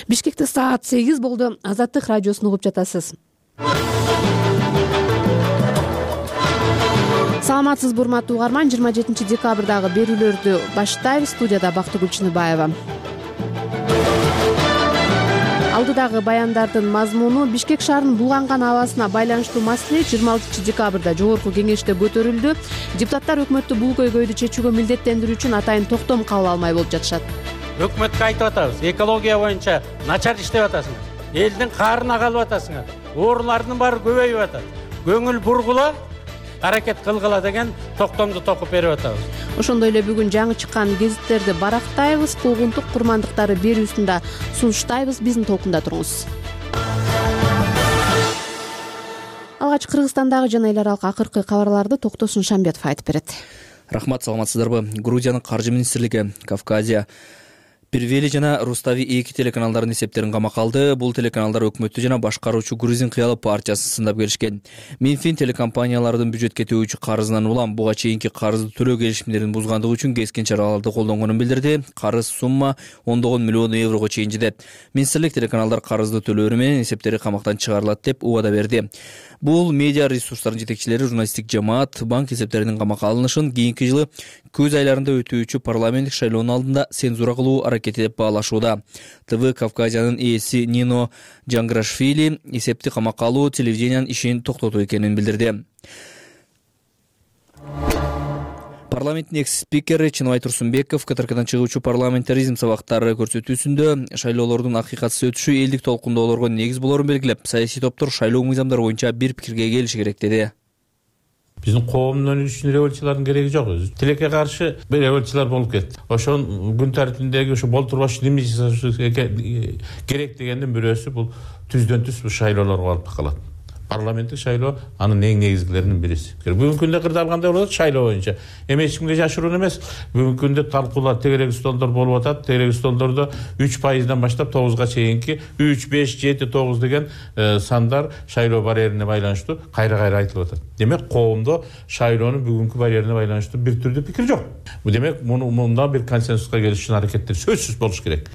Бишкекте саат 8 болду. Азаттык радиосун угуп жатасыз. Саламатсызбы урматтуу угарман, 27 декабрдагы берүүлөрдү баштайбыз. Студияда Бактыгүл Чыныбаева. Алдыдагы баяндардын мазмуну: Бишкек шаарынын булганган абасына байланыштуу маселе 26 декабрда жогорку кеңеште көтөрүлдү. Депутаттар өкмөттү бул көйгөйдү чечүүгө милдеттендирүү үчүн атайын токтом кабыл алмай болуп жатышат. Өкмөткө айтып атабыз, экология боюнча начар иштеп атасыңар. Элдин каарына калып атасыңар. Оорулардын баары көбөйүп атат. Көңүл бургула, аракет кылгыла деген токтомду токуп берип атабыз. Ошондой эле бүгүн жаңы чыккан гезиттерди барактайбыз, куугунтук курмандыктары берүүсүндө сунуштайбыз. Биздин толкунда туруңуз. Алгач Кыргызстандагы жана эл аралык акыркы кабарларды Токтосун Шамбетов айтып берет. Рахмат, саламатсыздарбы? Грузиянын каржы министрлиги Кавказия, Первели жана Рустави 2 телеканалдардын эсептерин камакка алды. Бул телеканалдар өкмөттү жана башкаруучу Грузин кыялы партиясын сындап келишкен. Минфин телекомпаниялардын бюджетке төбөчү карызынан улам буга чейинки карызды төлөө келишимдерин бузгандыгы үчүн кескен чараларды колдонгонун билдирди. Карыз сумма ондогон миллион еврого чейин жетет. Министрлик телеканалдар карызды төлөөрү менен эсептери камактан чыгарылат деп убада берди. Бул медиа ресурстардын жетекчилери журналисттик жамаат банк эсептеринин камакка алынышын кийинки жылы көз айларында өтүүчү парламенттик шайлоонун алдында цензура кылуу аракети деп баалашууда. ТВ Кавказиянын ээси Нино Джанграшвили эсепти камакка алуу телевидениянын ишин токтотуу экенин билдирди. Парламенттин экс-спикери Чыныбай Турсунбеков КТРКдан чыгуучу парламентаризм сабактары көрсөтүүсүндө шайлоолордун акыйкатсыз өтүшү элдик толкундоолорго негиз болорун белгилеп, саясий топтор шайлоо мыйзамдары боюнча бир пикирге келиши керек деди. Биздин коомдун үчүн революциялардын кереги жок. Тилекке каршы бир революциялар болуп кетти. Ошонун күн тартибиндеги ошо болтурбаш неме керек дегендин бирөөсү бул түздөн түз шайлоолорго алып калат. Парламенттик шайлоо анын эң негизгилеринин бириси. Бүгүнкү күндө кырдаалгандай болот шайлоо боюнча. Эми эч кимге жашыруун эмес. Бүгүнкү күндө талкуулар, тегерек столдор болуп атат. Тегерек столдордо 3%дан баштап 9га чейинки 3, 5, 7, 9 деген сандар шайлоо барьерине байланыштуу кайра айтылып атат. Демек, коомдо шайлоонун бүгүнкү барьерине байланыштуу бир түрдүү пикир жок. Бул демек мунда бир консенсуска келиш үчүн аракеттер сөзсүз болуш керек.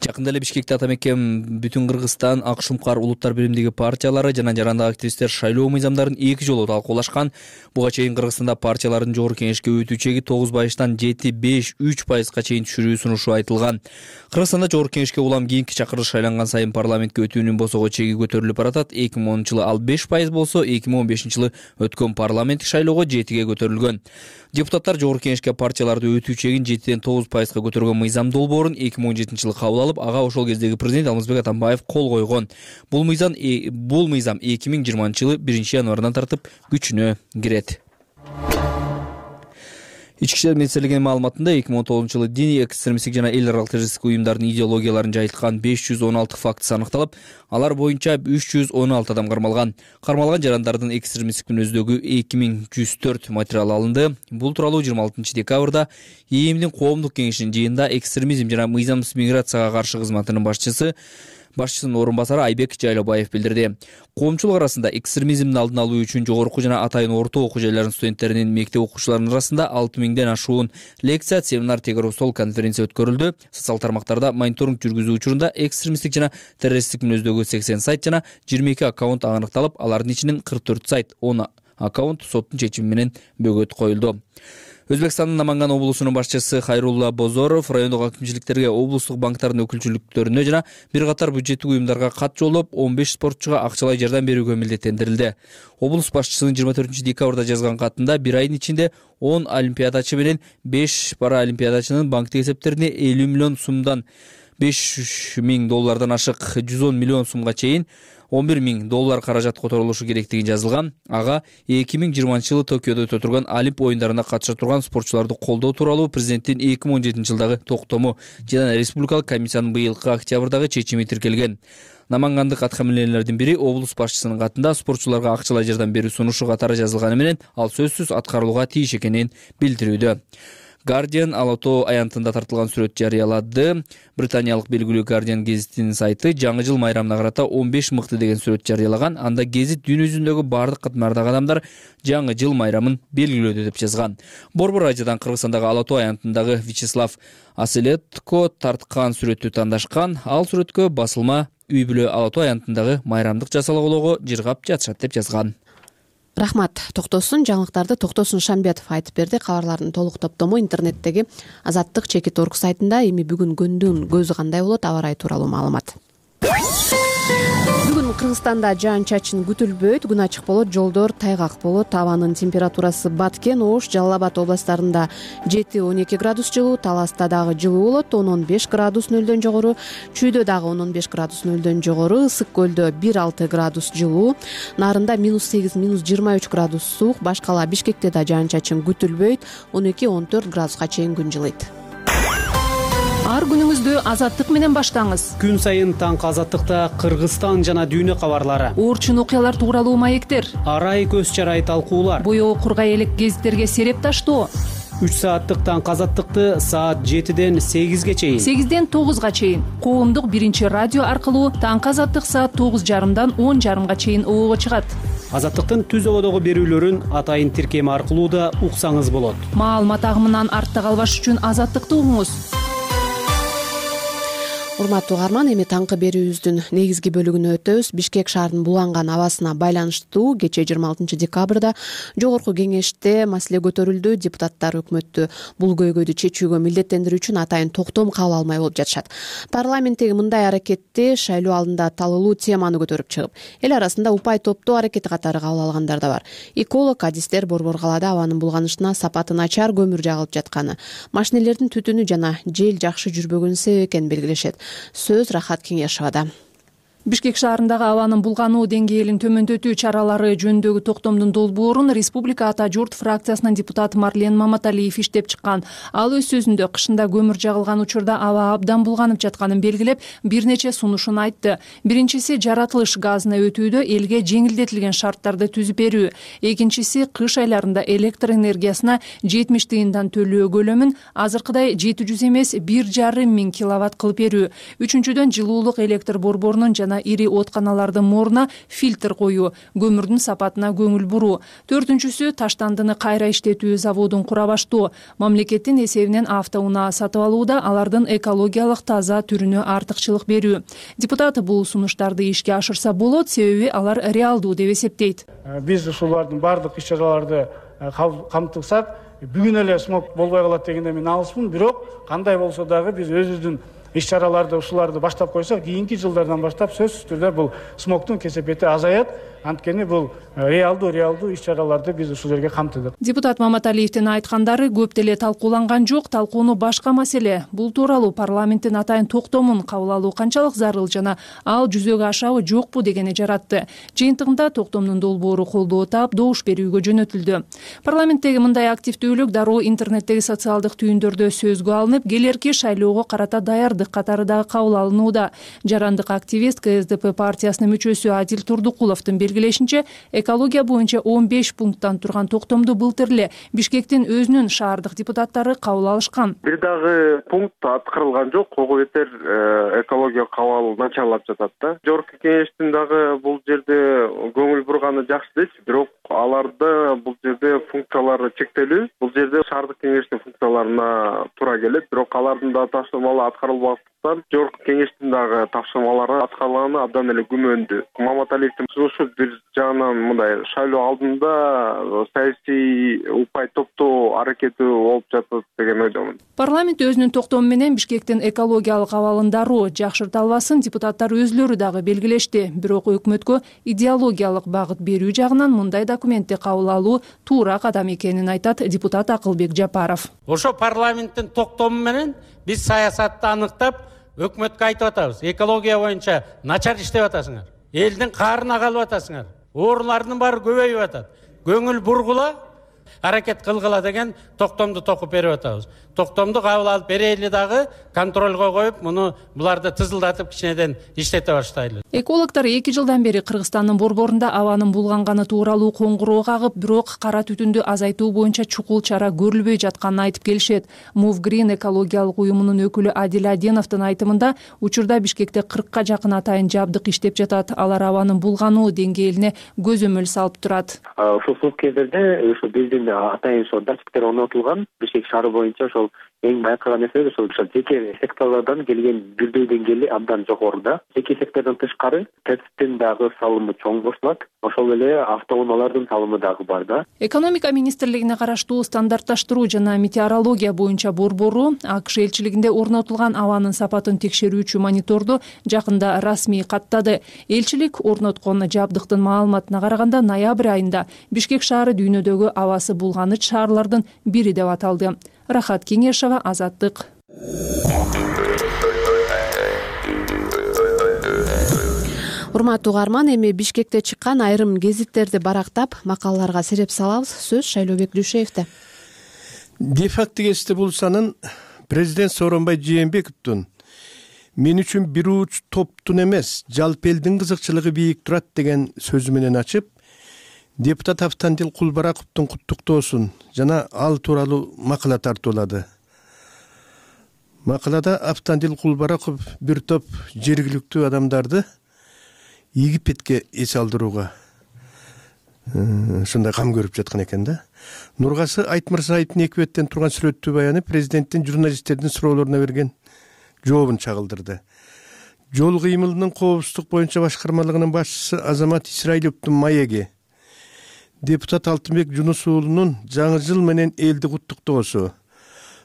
Жакында эле Бишкекте Атамекен, Бүтүн Кыргызстан, Ак Шумкар улуттар биримдиги партиялары жана жарандагы активисттер шайлоо мыйзамдарын 2 жолу талкуулашкан. Буга чейин Кыргызстанда партиялардын жогорку кеңешке өтүүчүгү 9%тан 7-5-3%га чейин түшүрүү сунушу айтылган. Кыргызстанда жогорку кеңешке улам кийинки чакырылыш шайланган сайын парламентке өтүүнүн босого чеги көтөрүлүп баратат. 2010 жылы ал 5% болсо, 2015 жылы өткөн парламенттик шайлоого 7ге көтөрүлгөн. Депутаттар жогорку кеңешке партияларды өтүү чегин 7ден 9%га көтөргөн мыйзам долбоорун 2017 жылы кабыл алып, ага ошол кездеги президент Алмазбек Атамбаев кол койгон. Бул мыйзам 2020 жылы 1 январдан тартып күчүнө кирет. Ички иштер министрлигинин маалыматында 2019 жылы диний экстремисттик жана эл аралык террористтик уюмдардын идеологияларын жайылткан 516 фактысы аныкталып, алар боюнча 316 адам кармалган. Кармалган жарандардын экстремисттик мүнөздөгү 2104 материал алынды. Бул тууралуу 26 декабрда ИИМдин коомдук кеңешинин жыйынында экстремизм жана мыйзамсыз миграцияга каршы кызматынын башчысынын орун басары Айбек Жайлобаев билдирди. Коомчулук арасында экстремизмдин алдын алуу үчүн жогорку жана атайын орто окуу жайларынын студенттеринин мектеп окуучуларынын арасында 6000ден ашуун лекция, семинар, тегерүү стол, конференция өткөрүлдү. Социал тармактарда мониторинг жүргүзүү учурунда экстремисттик жана террористтик мүнөздөгү 80 сайт жана 22 аккаунт аныкталып, алардын ичинен 44 сайт, 10 аккаунт соттун чечими менен бөгөт коюлду. Өзбекстандын Наманган облусунун башчысы Хайрулла Бозоров райондук акимчиликтерге, облустук банктардын өкүлчүлүктөрүнө жана бир катар бюджеттик уюмдарга кат жолдоп, 15 спортчуга акчалай жардам берүүгө милдеттендирилди. Облус башчысынын 24 декабрда жазган катында бир айдын ичинде 10 олимпиадачы менен 5 параолимпиадачынын банктык эсептерине 50 миллион сумдан $5,000 ашык 110 миллион сумга чейин $11,000 каражат которулушу керектиги жазылган. Ага 2020 жылы Токиодо өтө турган Олимп оюндарына катыша турган спортчуларды колдоо тууралуу президенттин 2017 жылдагы токтому жана республикалык комиссиянын быйылкы октябрдагы чечими тиркелген. Намангандык аткаминерлердин бири облус башчысынын катында спортчуларга акчалай жардам берүү сунушу катары жазылганы менен ал сөзсүз аткарылууга тийиш экенин билдирүүдө. Guardian Ала Тоо аянтында тартылган сүрөт жарыялады. Британиялык белгилүү Guardian гезитинин сайты жаңы жыл майрамына карата 15 мыкты деген сүрөт жарыялаган. Анда гезит дүйнө жүзүндөгү бардык катмардагы адамдар жаңы жыл майрамын белгилөөдө деп жазган. Борбор радиодан Кыргызстандагы Ала Тоо аянтындагы Вячеслав Аселетко тарткан сүрөттү тандашкан. Ал сүрөткө басылма үй бүлө Ала Тоо аянтындагы майрамдык жасалгоого жыргап жатышат деп жазган. Рахмат. Токтосун жаңылыктарды Токтосун Шамбетов айтып берди. Кабарлардын толук топтому интернеттеги Азаттык.org сайтында. Эми бүгүн күндүн көзү кандай болот, аба ырайы тууралуу маалымат. Бүгүн Кыргызстанда жаан-чачын күтүлбөйт, күн ачык болот, жолдор тайгак болот. Абанын температурасы Баткен, Ош, Жалал Абад областарында 7-12 градус жылуу, Таласта дагы жылуу болот, 10-15 градус нөлдөн жогору, Чүйдө дагы 10-15 градус нөлдөн жогору, Ысык көлдө 1-6 градус жылуу, Нарында -8, -23 градус суук, башкала Бишкекте да жаан-чачын күтүлбөйт, 12-14 градуска чейин күн жылыйт. Ар күнүңүздү Азаттык менен баштаңыз. Күн сайын таңкы Азаттыкта Кыргызстан жана дүйнө кабарлары, Оорчун окуялар тууралуу маектер, арай көз чарай талкуулар, боёо кургай элек гезиттерге сереп таштоо. 3 сааттык таңкы Азаттыкты саат 7-ден 8-ге чейин, 8-ден 9-га чейин коомдук биринчи радио аркылуу таңкы Азаттык саат 9:30-дан 10:30-га чейин обого чыгат. Азаттыктын түз ободогу берүүлөрүн атайын тиркем аркылуу да уксаңыз болот. Маалымат агымынан артта калбаш үчүн Азаттыкты угуңуз. Урматтуу угарман, эми таңкы берүүбүздүн негизги бөлүгүнө өтөбүз. Бишкек шаарынын булганган абасына байланыштуу кечээ 26 декабрда жогорку кеңеште маселе көтөрүлдү. Депутаттар өкмөттү бул көйгөйдү чечүүгө милдеттендирүү үчүн атайын токтом кабыл алмай болуп жатышат. Парламенттеги мындай аракетти шайлоо алдында талылуу теманы көтөрүп чыгып, эл арасында упай топтоо аракети катары кабыл алгандар да бар. Эколог, адистер Борбор калаада абанын булганышына сапаты начар көмүр жагылып жатканы, машинелердин түтүнү жана жел жакшы жүрбөгөнүн себеп экенин белгилешет. Сөз Рахат Кеңешевада. Бишкек шаарындагы абанын булгануу деңгээлин төмөндөтүү чаралары жөнүндөгү токтомдун долбоорун Республика Ата журт фракциясынын депутаты Марлен Маматалиев иштеп чыккан. Ал өз сөзүндө кышында көмүр жагылган учурда аба абдан булганып жатканын белгилеп, бир нече сунушун айтты. Биринчиси жаратылыш газына өтүүдө элге жеңилдетилген шарттарды түзүп берүү. Экинчиси кыш айларында электр энергиясына 70 тыйындан төлөө көлөмүн азыркыдай 700 эмес 1,5 миң киловатт кылып берүү. Үчүнчүдөн жылуулук электр борборунун жана ири отканалардын моруна фильтр коюу, көмүрдүн сапатына көңүл буруу. Төртүнчүсү таштандыны кайра иштетүү заводун кура баштоо. Мамлекеттин эсебинен автоунаа сатып алууда алардын экологиялык таза түрүнө артыкчылык берүү. Депутат бул сунуштарды ишке ашырса болот, себеби алар реалдуу деп эсептейт. Биз ушулардын бардык иш-чараларды камтыксак, бүгүн эле смог болбой калат дегенде мен алыспын, бирок кандай болсо дагы биз өзүбүздүн иш-чараларды ушуларды баштап койсок, кийинки жылдардан баштап сөзсүз түрдө бул смогтун кесепети азаят. Анткени бул реалдуу иш-чараларды биз ушул жерге камтыдык. Депутат Маматалиевдин айткандары көп деле талкууланган жок. Талкууну башка маселе. Бул тууралуу парламенттин атайын токтомун кабыл алуу канчалык зарыл жана ал жүзөгө ашабы жокпу дегени жаратты. Жыйынтыгында токтомдун долбоору колдоо таап, добуш берүүгө жөнөтүлдү. Парламенттеги мындай активдүүлүк дароо интернеттеги социалдык түйүндөрдө сөзгө алынып, келерки шайлоого карата даярдык катары дагы кабыл алынууда. Жарандык активист КСДП партиясынын мүчөсү Адил Турдукуловдун белгилешинче, экология боюнча 15 пункттан турган токтомду былтыр эле Бишкектин өзүнүн шаардык депутаттары кабыл алышкан. Бир дагы пункт аткарылган жок. Ого бетер экология кабыл начарлап жатат да. Жогорку кеңештин дагы бул жерде көңүл бурганы жакшы дейт, бирок аларда бул жерде функциялары чектелүү. Бул жерде шаардык кеңештин функцияларына туура келет, бирок алардын да тапшырмалары аткарылбастан жогорку кеңештин дагы тапшырмалары аткарылганы абдан эле күмөндүү. Маматалиевдин сунушу бир жагынан мындай шайлоо алдында саясий упай топтоо аракети болуп жатат деген ойдомун. Парламент өзүнүн токтому менен Бишкектин экологиялык абалын дароо жакшырта албасын депутаттар өзлөрү дагы белгилешти. Бирок өкмөткө идеологиялык багыт берүү жагынан мындай документти кабыл алуу туура кадам экенин айтат депутат Акылбек Жапаров. Ошо парламенттин токтому менен биз саясатты аныктап, өкмөткө айтып атабыз. Экология боюнча начар иштеп атасыңар. Элдин каарына калып атасыңар. Оорулардын баары көбөйүп атат. Көңүл бургула, аракет кылгыла деген токтомду токуп берип атабыз. токтомду кабыл алып берели дагы контролго коюп, муну буларды тызылдатып кичинеден иштете баштайлы. Экологдор 2 жылдан бери Кыргызстандын борборунда абанын булганганы тууралуу коңгуроо кагып, бирок кара түтүндү азайтуу боюнча чукул чара көрүлбөй жатканын айтып келишет. Move Green экологиялык уюмунун өкүлү Адил Аденовдун айтымында, учурда Бишкекте 40ка жакын атайын жабдык иштеп жатат. Алар абанын булгануу деңгээлине көзөмөл салып турат. Ошол суук кездерде ошо биздин атайын датчиктер орнотулган. Бишкек шаары боюнча ошол эң байкаган нерсе ошол жеке секторлордон келген бирдүү деңгээли абдан жогоруда. Жеке сектордон тышкары ТЭЦтин дагы салымы чоң болсулат. Ошол эле автоунаалардын салымы дагы бар да. Экономика министрлигине караштуу стандартташтыруу жана метеорология боюнча борбору АКШ элчилигинде орнотулган абанын сапатын текшерүүчү мониторду жакында расмий каттады. Элчилик орноткон жабдыктын маалыматына караганда, ноябрь айында Бишкек шаары дүйнөдөгү абасы булганыч шаарлардын бири деп аталды. Рахат Кеңешова, Азаттык. Урматтуу угарман, эми Бишкекте чыккан айрым гезиттерди барактап, макалаларга сереп салабыз. Сөз Шайлообек Дүйшеевде. Дефакты гезити булсанын президент Сооронбай Жээнбековдун мен үчүн бир уч топтун эмес, жалпы элдин кызыкчылыгы бийик турат деген сөзү менен ачып, депутат Автандил Кулбараковдун куттуктоосун жана ал тууралуу макала тартуулады. Макалада Автандил Кулбараков бир топ жергиликтүү адамдарды Египетке эс алдырууга ушундай кам көрүп жаткан экен да. Нургасы Айтмырзаевдин 2 беттен турган сүрөттүү баяны президенттин журналисттердин суроолоруна берген жообун чагылдырды. Жол кыймылынын коопсуздук боюнча башкармалыгынын башчысы Азамат Исраиловдун маеги, депутат Алтынбек Жунус уулунун жаңы жыл менен элди куттуктоосу,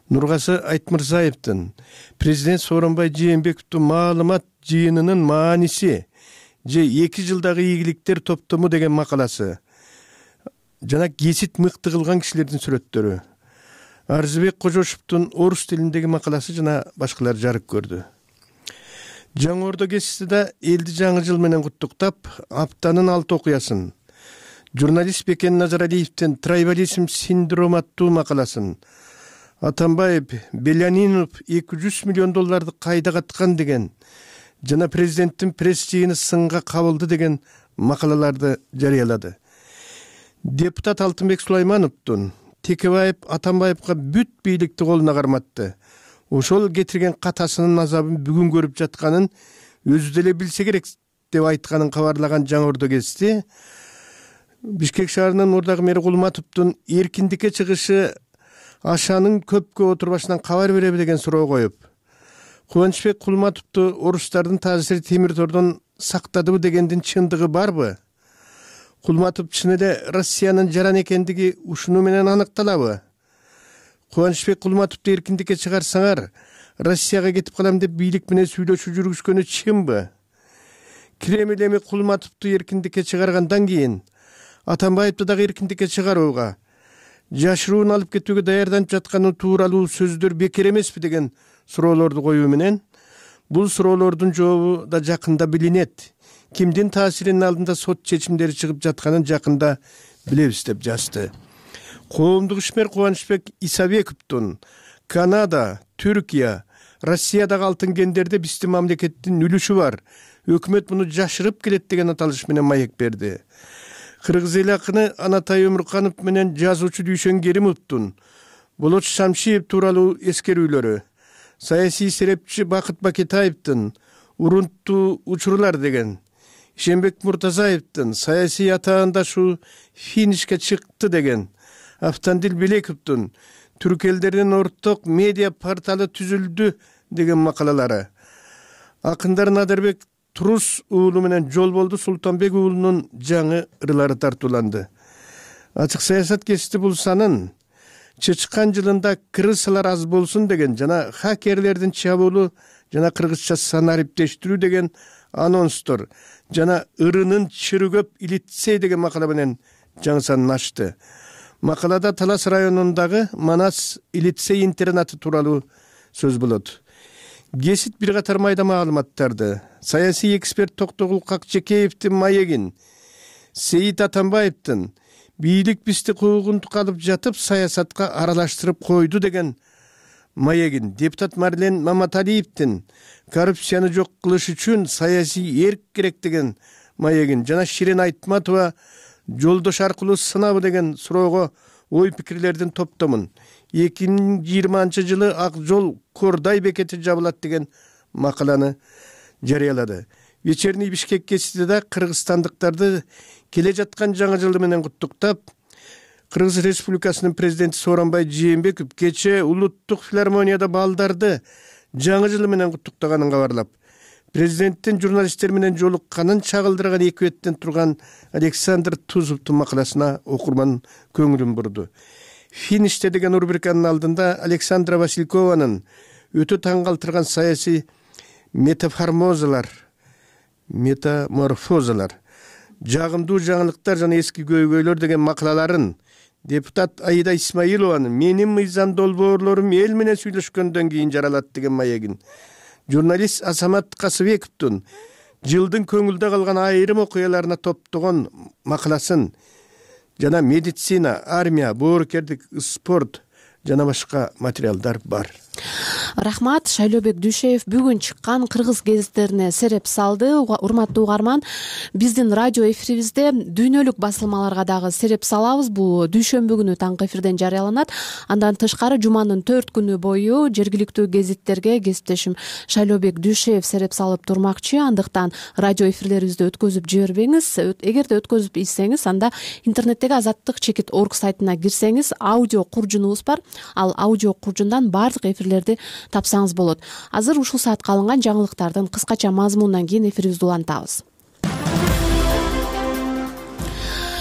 Нургасы Айтмырзаевдин президент Сооронбай Жээнбековдун маалымат жыйынынын мааниси же 2 жылдагы ийгиликтер топтому деген макаласы жана гезит мыкты кылган кишилердин сүрөттөрү, Арзыбек Кожошовдун орус тилиндеги макаласы жана башкалар жарык көрдү. Жаңы Ордо гезитиде элди жаңы жыл менен куттуктап, аптанын 6 окуясын, журналист Бекен Назаралиевдин трайбализм синдрому аттуу макаласын, Атамбаев Белянинов 200 миллион долларды кайда каткан деген жана президенттин пресс жыйыны сынга кабылды деген макалаларды жарыялады. Депутат Алтынбек Сулаймановдун Текебаев Атамбаевга бүт бийликти колуна карматты. Ошол кетирген катасынын азабын бүгүн көрүп жатканын өзү деле билсе керек деп айтканын кабарлаган Жаңы Ордо гезити Бишкек шаарынын мурдагы мэри Кулматовдун эркиндикке чыгышы ашанын көпкө отурбашынан кабар береби деген суроо коюп, Кубанычбек Кулматовду орустардын таасири темир тордон сактадыбы дегендин чындыгы барбы? Кулматов чын эле Россиянын жаран экендиги ушуну менен аныкталабы? Кубанычбек Кулматовду эркиндикке чыгарсаңар, Россияга кетип калам деп бийлик менен сүйлөшүү жүргүзгөнү чынбы? Кремль эми Кулматовду эркиндикке чыгаргандан кийин Атамбаевди дагы эркиндикке чыгарууга, жашыруун алып кетүүгө даярданып жатканы тууралуу сөздөр бекер эмеспи деген суроолорду коюу менен, бул суроолордун жообу да жакында билинет. Кимдин таасиринин алдында сот чечимдери чыгып жатканын жакында билебиз деп жазды. Коомдук ишмер Кубанычбек Исабековдун Канада, Түркия, Россиядагы алтын кендерде биздин мамлекеттин үлүшү бар. Өкмөт муну жашырып келет деген аталыш менен маек берди. Кыргыз эл акыны Анатай Өмүрканов менен жазуучу Дүйшөн Керимовдун Болот Шамшиев тууралуу эскерүүлөрү, саясий серепчи Бакыт Бакетаевдин Урунттуу учурлар деген, Ишенбек Муртазаевдин саясий атаандашу финишке чыкты деген, Автандил Белековдун түрк элдеринин орток медиа порталы түзүлдү деген макалалары, акындар Надырбек Турус уулу менен Жолболду Султанбек уулунун жаңы ырлары тартууланды. Ачык саясат гезити булсанын чычкан жылында крысалар аз болсун деген жана хакерлердин чабуулу жана кыргызча санариптештирүү деген анонстор жана ырынын чыры көп илитсей деген макала менен жаңы санын ачты. Макалада Талас районундагы Манас Илитсей интернаты тууралуу сөз болот. Гезит бир катар майда маалыматтарды, саясий эксперт Токтогул Какчекеевдин маегин, Сейит Атамбаевдин бийлик бизди куугунтук алып жатып саясатка аралаштырып койду деген маегин депутат Марлен Маматалиевдин коррупцияны жок кылыш үчүн саясий эрк керек деген маегин жана Ширин Айтматова жолдош аркылуу сынабы деген суроого ой пикирлердин топтомун 2020-жылы Ак жол Кордай бекети жабылат деген макаланы жарыялады. Вечерний Бишкек гезитиде кыргызстандыктарды келе жаткан жаңы жылы менен куттуктап, Кыргыз Республикасынын президенти Сооронбай Жээнбеков кечээ улуттук филармонияда балдарды жаңы жылы менен куттуктаганын кабарлап, президенттин журналисттер менен жолукканын чагылдырган эки беттен турган Александр Тузовдун макаласына окурман көңүлүн бурду. Финиште деген рубриканын алдында Александра Василькованын өтө таң калтырган саясий метаморфозалар, жагымдуу жаңылыктар жана эски көйгөйлөр деген макалаларын депутат Аида Исмаилованын менин мыйзам долбоорлорум эл менен сүйлөшкөндөн кийин жаралат деген маегин, журналист Асамат Касыбековдун жылдын көңүлдө калган айрым окуяларына топтогон макаласын жана медицина, армия, боорукердик, спорт жана башка материалдар бар. Рахмат. Шайлообек Дүйшеев бүгүн чыккан кыргыз гезиттерине сереп салды. Урматтуу угарман, биздин радио эфирибизде дүйнөлүк басылмаларга дагы сереп салабыз. Бул дүйшөмбү күнү таңкы эфирден жарыяланат. Андан тышкары жуманын 4 күнү бою жергиликтүү гезиттерге кесиптешим Шайлообек Дүйшеев сереп салып турмакчы. Андыктан радио эфирлерибизди өткөзүп жибербеңиз. Эгерде өткөзүп ийсеңиз, анда интернеттеги azаттык.org сайтына кирсеңиз, аудио куржунубуз бар. Ал аудио куржундан бардык эфирлерди тапсаңыз болот. Азыр ушул саатка алынган жаңылыктардын кыскача мазмунунан кийин эфирибизди улантабыз.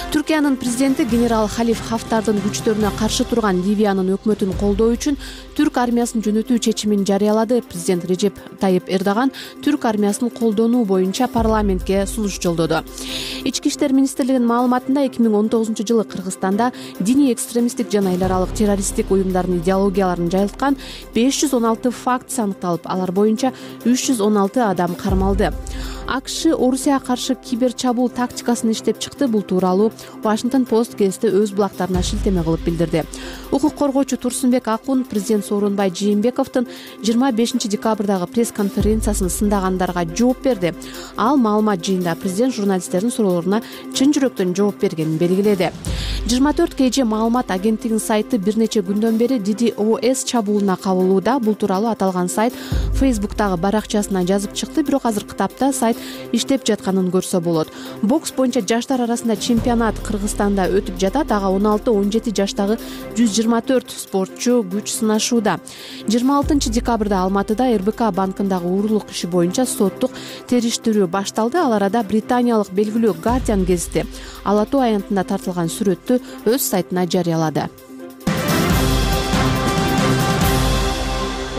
Түркиянын президенти генерал Халиф Хафтардын күчтөрүнө каршы турган Ливиянын өкмөтүн колдоо үчүн түрк армиясын жөнөтүү чечимин жарыялады. Президент Режеп Тайып Эрдоган түрк армиясын колдонуу боюнча парламентке сунуш жолдоду. Ички иштер министрлигинин маалыматында 2019-жылы Кыргызстанда диний экстремисттик жана эл аралык террористтик уюмдардын идеологияларын жайылткан 516 факт аныкталып, алар боюнча 316 адам кармалды. АКШ Орусияга каршы кибер чабуул тактикасын иштеп чыкты. Бул тууралуу Washington Post гезити өз булактарына шилтеме кылып билдирди. Укук коргоочу Турсунбек Акун президент Сооронбай Жээнбековдун 25 декабрдагы пресс-конференциясын сындагандарга жооп берди. Ал маалымат жыйында президент журналисттердин суроолоруна чын жүрөктөн жооп бергенин белгиледи. 24 KG маалымат агенттигинин сайты бир нече күндөн бери DDoS чабуулуна кабылууда. Бул тууралуу аталган сайт Facebook'тагы баракчасына жазып чыкты, бирок азыркы тапта сайт иштеп жатканын көрсө болот. Бокс боюнча жаштар арасында чемпионат Кыргызстанда өтүп жатат. Ага 16-17 жаштагы 124 спортчу күч сынашууда. 26 декабрда Алматыда РБК банкындагы уурулук иши боюнча соттук териштирүү башталды. Ал арада британиялык белгилүү Guardian гезити Ала Тоо аянтында тартылган сүрөттү өз сайтына жарыялады.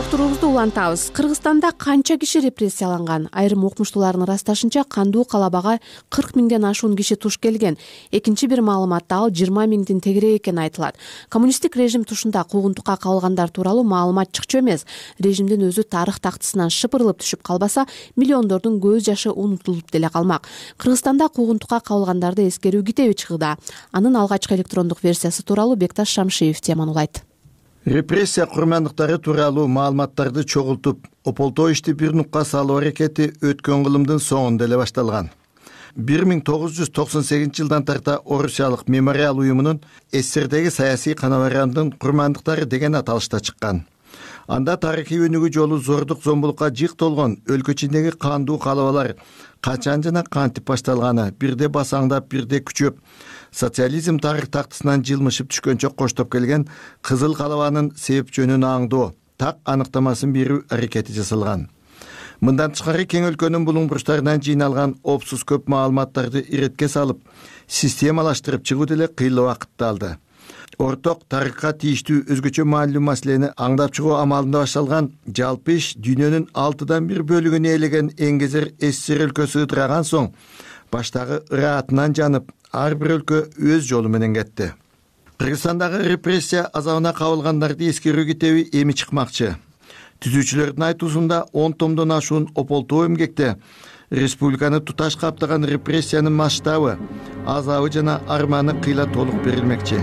Турубузду улантабыз. Кыргызстанда канча киши репрессияланган? Айрым укмуштуулардын ырасташынча кандуу калабага 40 миңден ашуун киши туш келген. Экинчи бир маалыматта ал 20 миңдин тегерээк экени айтылат. Коммунисттик режим тушунда куугунтукка кабылгандар тууралуу маалымат чыкчу эмес. Режимдин өзү тарых тактысынан шыпырылып түшүп калбаса, миллиондордун көз жашы унутулуп деле калмак. Кыргызстанда куугунтукка кабылгандарды эскерүү китеби чыгды. Анын алгачкы электрондук версиясы тууралуу Бекташ Шамшиев темануулайт. Репрессия курмандыктары тууралуу маалыматтарды чогултуп, ополтоо ишти бир нукка салуу аракети өткөн кылымдын соңунда эле башталган. 1998 жылдан тарта Орусиялык мемориал уюмунун СССРдеги саясий канабарандын курмандыктары деген аталышта чыккан. Анда тарыхый өнүгүү жолу зордук зомбулукка жык толгон өлкө ичиндеги кандуу калабалар качан жана кантип башталганы, бирде басаңдап, бирде күчөп, социализм тарых тактысынан жылмышып түшкөнчө коштоп келген Кызыл калабанын себеп жөнүн аңдоо, так аныктамасын берүү аракети жасалган. Мындан тышкары кең өлкөнүн булуң бурчтарынан жыйналган опсуз көп маалыматтарды иретке салып, системалаштырып чыгуу деле кыйла убакытты алды. Орток тарыхка тийиштүү өзгөчө маанилүү маселени аңдап чыгуу амалында башталган жалпы иш дүйнөнүн 6/1 бөлүгүн ээлеген эңгезер СССР өлкөсү ыдыраган соң баштагы ыраатынан жанып, ар бир өлкө өз жолу менен кетти. Кыргызстандагы репрессия азабына кабылгандарды эскерүү китеби эми чыкмакчы. Түзүүчүлөрдүн айтуусунда 10 томдон ашуун ополтоо эмгекте республиканы туташ каптаган репрессиянын масштабы, азабы жана арманы кыйла толук берилмекчи.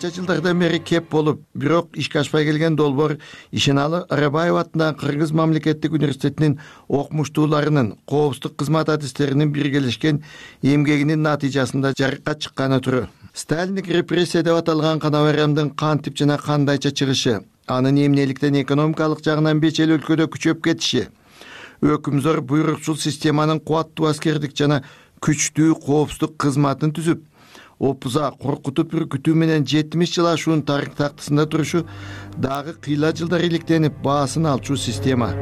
канча жылдардан бери кеп болуп, бирок ишке ашпай келген долбоор Ишеналы Арабаев атындагы Кыргыз мамлекеттик университетинин окумуштууларынын коопсуздук кызмат адистеринин биргелешкен эмгегинин натыйжасында жарыкка чыкканы туру. Сталиндик репрессия деп аталган кана байрамдын кантип жана кандайча чыгышы, анын эмнеликтен экономикалык жагынан бечел өлкөдө күчөп кетиши, өкүмзор буйрукчул системанын кубаттуу аскердик жана күчтүү коопсуздук кызматын түзүп, опуза коркутуп үркүтүү менен 70 жыл ашуун тарых тактысында турушу дагы кыйла жылдар иликтенип баасын алчу система.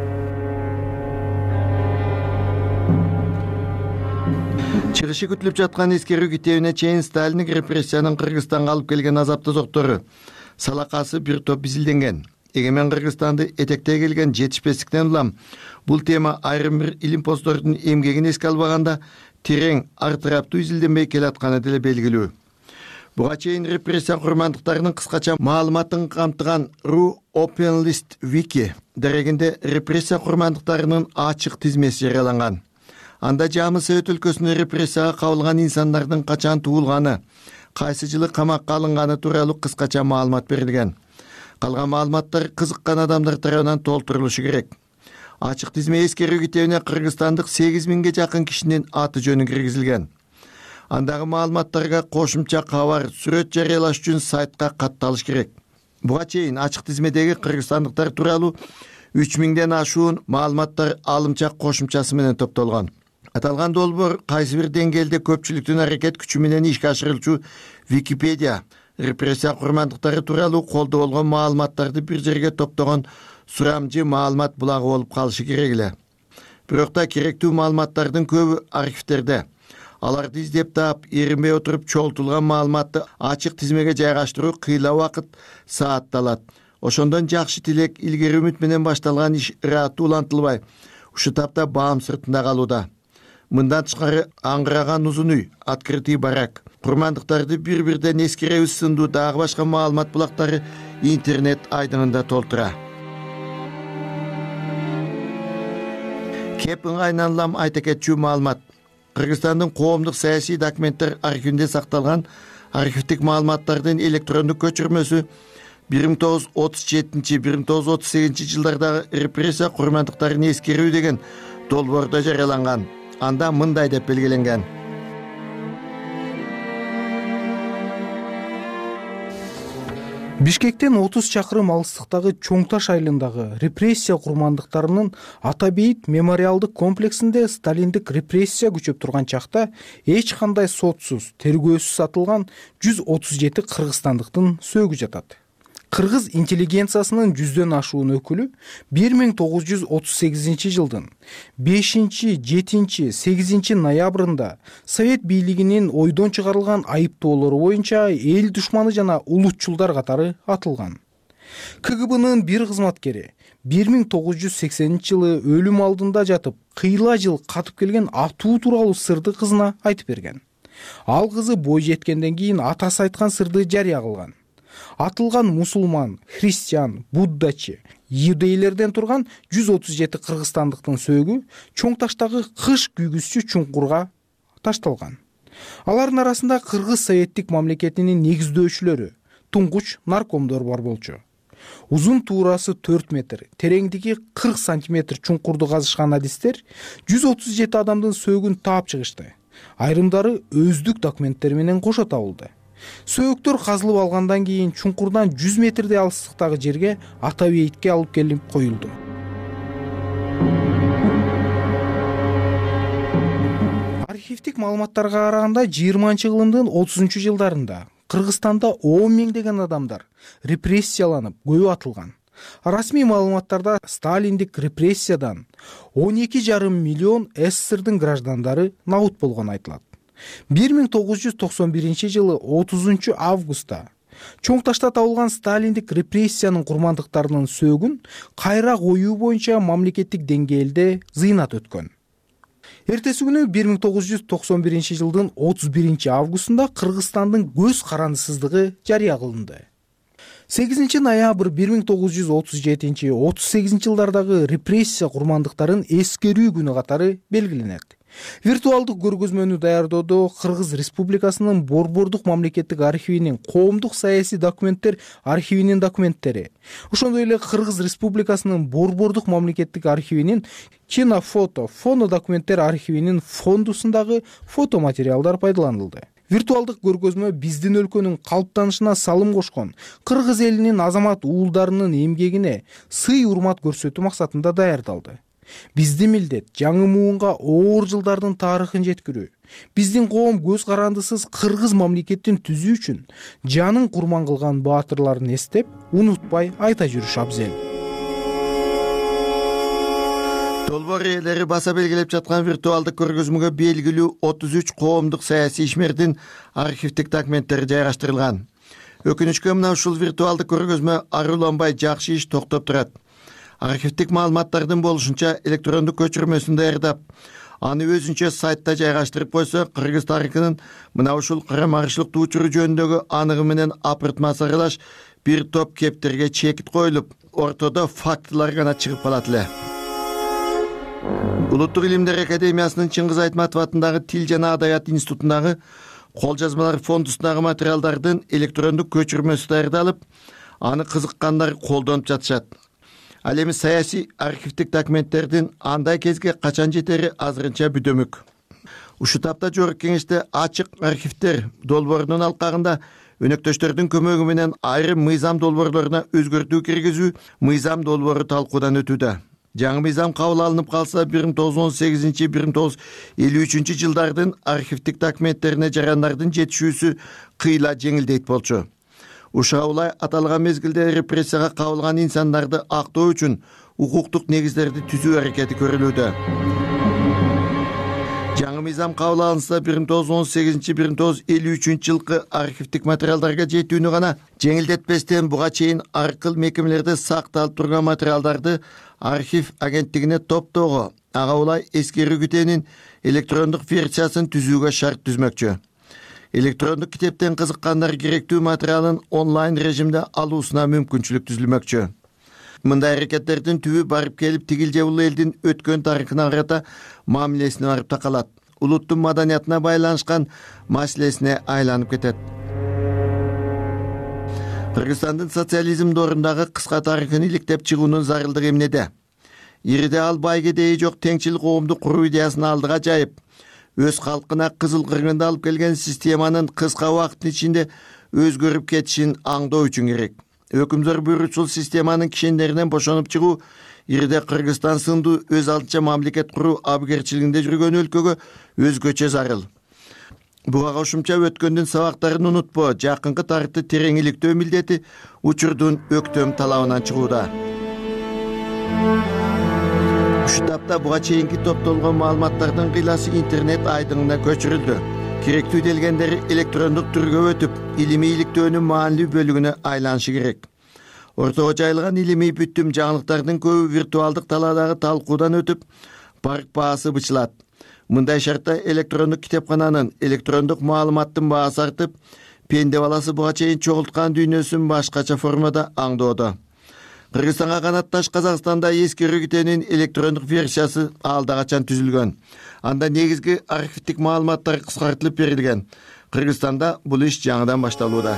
Чыгышы күтүлүп жаткан эскерүү китебине чейин Сталиндик репрессиянын Кыргызстанга алып келген азапты зоктору, салакасы бир топ изилденген. Эгемен Кыргызстанды этектей келген жетишпестиктен улам бул тема айрым бир илимпоздордун эмгегин эске албаганда терең, артыраптуу изилденбей келатканы деле белгилүү. Буга чейин репрессия курмандыктарынын кыскача маалыматын камтыган RU Open List Wiki дерегинде репрессия курмандыктарынын ачык тизмеси жарыяланган. Анда Жамы Совет өлкөсүнө репрессияга кабылган инсандардын качан туулганы, кайсы жылы камакка алынганы тууралуу кыскача маалымат берилген. Калган маалыматтар кызыккан адамдар тарабынан толтурулушу керек. Ачык тизме эскерүү китебине кыргызстандык 8000ге жакын кишинин аты жөнү киргизилген. Андагы маалыматтарга кошумча кабар, сүрөт жарыялаш үчүн сайтка катталыш керек. Буга чейин ачык тизмедеги кыргызстандыктар тууралуу 3000ден ашуун маалыматтар алымчак кошумчасы менен топтолгон. Аталган долбоор кайсы бир деңгээлде көпчүлүктүн аракет күчү менен ишке ашырылчу Википедия репрессия курмандыктары тууралуу колдо болгон маалыматтарды бир жерге топтогон сурамжы маалымат булагы болуп калышы керек эле. Бирок да керектүү маалыматтардын көбү архивтерде. Аларды издеп таап, эринбей отуруп чогултулган маалыматты ачык тизмеге жайгаштыруу кыйла убакыт, саатты алат. Ошондон жакшы тилек, илгери үмүт менен башталган иш ыраттуу улантылбай, ушу тапта баам сыртында калууда. Мындан тышкары аңгыраган узун үй, открытый барак, курмандыктарды бир-бирден эскеребиз сындуу дагы башка маалымат булактары интернет айдынында толтура. Кеп ыңгайынан улам айта кетчү маалымат. Кыргызстандын коомдук саясий документтер архивинде сакталган архивдик маалыматтардын электрондук көчүрмөсү 1937-1938 жылдардагы репрессия курмандыктарын эскерүү деген долбоордо жарыяланган. Анда мындай деп белгиленген. Бишкектен 30 чакырым алыстыктагы Чоң Таш айылындагы репрессия курмандыктарынын Ата Бейит мемориалдык комплексинде сталиндик репрессия күчөп турган чакта эч кандай сотсуз, тергөөсүз атылган 137 кыргызстандыктын сөөгү жатат. Кыргыз интеллигенциясынын 100дөн ашуун өкүлү 1938 жылдын 5-7-8 ноябрында Совет бийлигинин ойдон чыгарылган айыптоолору боюнча эл душманы жана улутчулдар катары атылган. КГБнын бир кызматкери 1980 жылы өлүм алдында жатып, кыйла жыл катып келген атуу тууралуу сырды кызына айтып берген. Ал кызы бой жеткенден кийин атасы айткан сырды жарыя кылган. Атылган мусулман, христиан, буддачы, иудейлерден турган 137 кыргызстандыктын сөөгү Чоң Таштагы кыш күйгүзчү чуңкурга ташталган. Алардын арасында Кыргыз Советтик мамлекетинин негиздөөчүлөрү, туңгуч наркомдор бар болчу. Узун туурасы 4 метр, тереңдиги 40 сантиметр чуңкурду казышкан адистер 137 адамдын сөөгүн таап чыгышты. Айрымдары өздүк документтер менен кошо табылды. Сөөктөр казылып алгандан кийин чуңкурдан 100 метрдей алыстыктагы жерге Ата Бейитке алып келип коюлду. Архивдик маалыматтарга караганда 20-кылымдын 30-жылдарында Кыргызстанда 10 миңдеген адамдар репрессияланып, көбү атылган. Расмий маалыматтарда сталиндик репрессиядан 12,5 миллион СССРдын граждандары набут болгону айтылат. 1991 жылы 30 августта Чоң Ташта табылган сталиндик репрессиянын курмандыктарынын сөөгүн кайра коюу боюнча мамлекеттик деңгээлде зыйнат өткөн. Эртеси күнү 1991 жылдын 31 августунда Кыргызстандын көз карандысыздыгы жарыя кылынды. 8 ноябрь 1937-38 жылдардагы репрессия курмандыктарын эскерүү күнү катары белгиленет. Виртуалдык көргөзмөнү даярдоодо Кыргыз Республикасынын Борбордук мамлекеттик архивинин коомдук саясий документтер архивинин документтери, ошондой эле Кыргыз Республикасынын Борбордук мамлекеттик архивинин кинофото, фонодокументтер архивинин фондусундагы фотоматериалдар пайдаланылды. Виртуалдык көргөзмө биздин өлкөнүн калыптанышына салым кошкон кыргыз элинин азамат уулдарынын эмгегине сый урмат көрсөтүү максатында даярдалды. Биздин милдет жаңы муунга оор жылдардын тарыхын жеткирүү. Биздин коом көз карандысыз кыргыз мамлекетин түзүү үчүн жанын курман кылган баатырларын эстеп, унутпай айта жүрүш абзел. Долбоор ээлери баса белгилеп жаткан виртуалдык көргөзмөгө белгилүү 33 коомдук саясий ишмердин архивдик документтери жайгаштырылган. Өкүнүчкө мына ушул виртуалдык көргөзмө аруланбай жакшы иш токтоп турат. Архивдик маалыматтардын болушунча электрондук көчүрмөсүн даярдап, аны өзүнчө сайтта жайгаштырып койсо, кыргыз тарыхынын мына ушул карама-каршылыктуу учуру жөнүндөгү аныгы менен апыртмасы аралаш бир топ кептерге чекит коюлуп, ортодо фактылар гана чыгып калат эле. Улуттук илимдер академиясынын Чыңгыз Айтматов атындагы Тил жана Адабият институтундагы кол жазмалар фондусундагы материалдардын электрондук көчүрмөсү даярдалып, аны кызыккандар колдонуп жатышат. Ал эми саясий архивдик документтердин андай кезге качан жетери азырынча бүдөмүк. Ушул тапта Жогорку Кеңеште ачык архивдер долбоорунун алкагында өнөктөштөрдүн көмөгү менен айрым мыйзам долбоорлоруна өзгөртүү киргизүү мыйзам долбоору талкуудан өтүүдө. Жаңы мыйзам кабыл алынып калса 1918-1953 жылдардын архивдик документтерине жарандардын жетишүүсү кыйла жеңилдейт болчу. Ушуга улай аталган мезгилде репрессияга кабылган инсандарды актоо үчүн укуктук негиздерди түзүү аракети көрүлүүдө. Жаңы мыйзам кабыл алынса 1918-1953 жылкы архивдик материалдарга жетүүнү гана жеңилдетпестен буга чейин аркыл мекемелерде сакталып турган материалдарды архив агенттигине топтоого, ага улай эскерүү китебинин электрондук версиясын түзүүгө шарт түзмөкчү. Электрондук китептен кызыккандар керектүү материалын онлайн режимде алуусуна мүмкүнчүлүк түзүлмөкчү. Мындай аракеттердин түбү барып келип тигил же бул элдин өткөн тарыхына карата мамилесине барып такалат. Улуттун маданиятына байланышкан маселесине айланып кетет. Кыргызстандын социализм дорундагы кыска тарыхын иликтеп чыгуунун зарылдыгы эмнеде? Ириде ал байгедеи жок теңчил коомду куруу идеясын алдыга жайып, өз калкына кызыл кыргынды алып келген системанын кыска убакыттын ичинде өзгөрүп кетишин аңдоо үчүн керек. Өкүмдөр буйрутчул системанын кишендеринен бошонуп чыгуу ириде Кыргызстан сындуу өз алдынча мамлекет куруу абгерчилигинде жүргөн өлкөгө өзгөчө зарыл. Буга кошумча өткөндүн сабактарын унутпоо, жакынкы тарыхты терең иликтөө милдети учурдун өктөм талабынан чыгууда. Ушул тапта буга чейинки топтолгон маалыматтардын кыйласы интернет айдыңына көчүрүлдү. Керектүү делгендери электрондук түргө өтүп, илимий иликтөөнүн маанилүү бөлүгүнө айланышы керек. Ортого жайылган илимий бүттүм жаңылыктардын көбү виртуалдык талаадагы талкуудан өтүп, парк баасы бычылат. Мындай шартта электрондук китепкананын, электрондук маалыматтын баасы артып, пенде баласы буга чейин чогулткан дүйнөсүн башкача формада аңдоодо. Кыргызстанга канатташ Казакстанда эскерүү китебинин электрондук версиясы алда качан түзүлгөн. Анда негизги архивдик маалыматтар кыскартылып берилген. Кыргызстанда бул иш жаңыдан башталууда.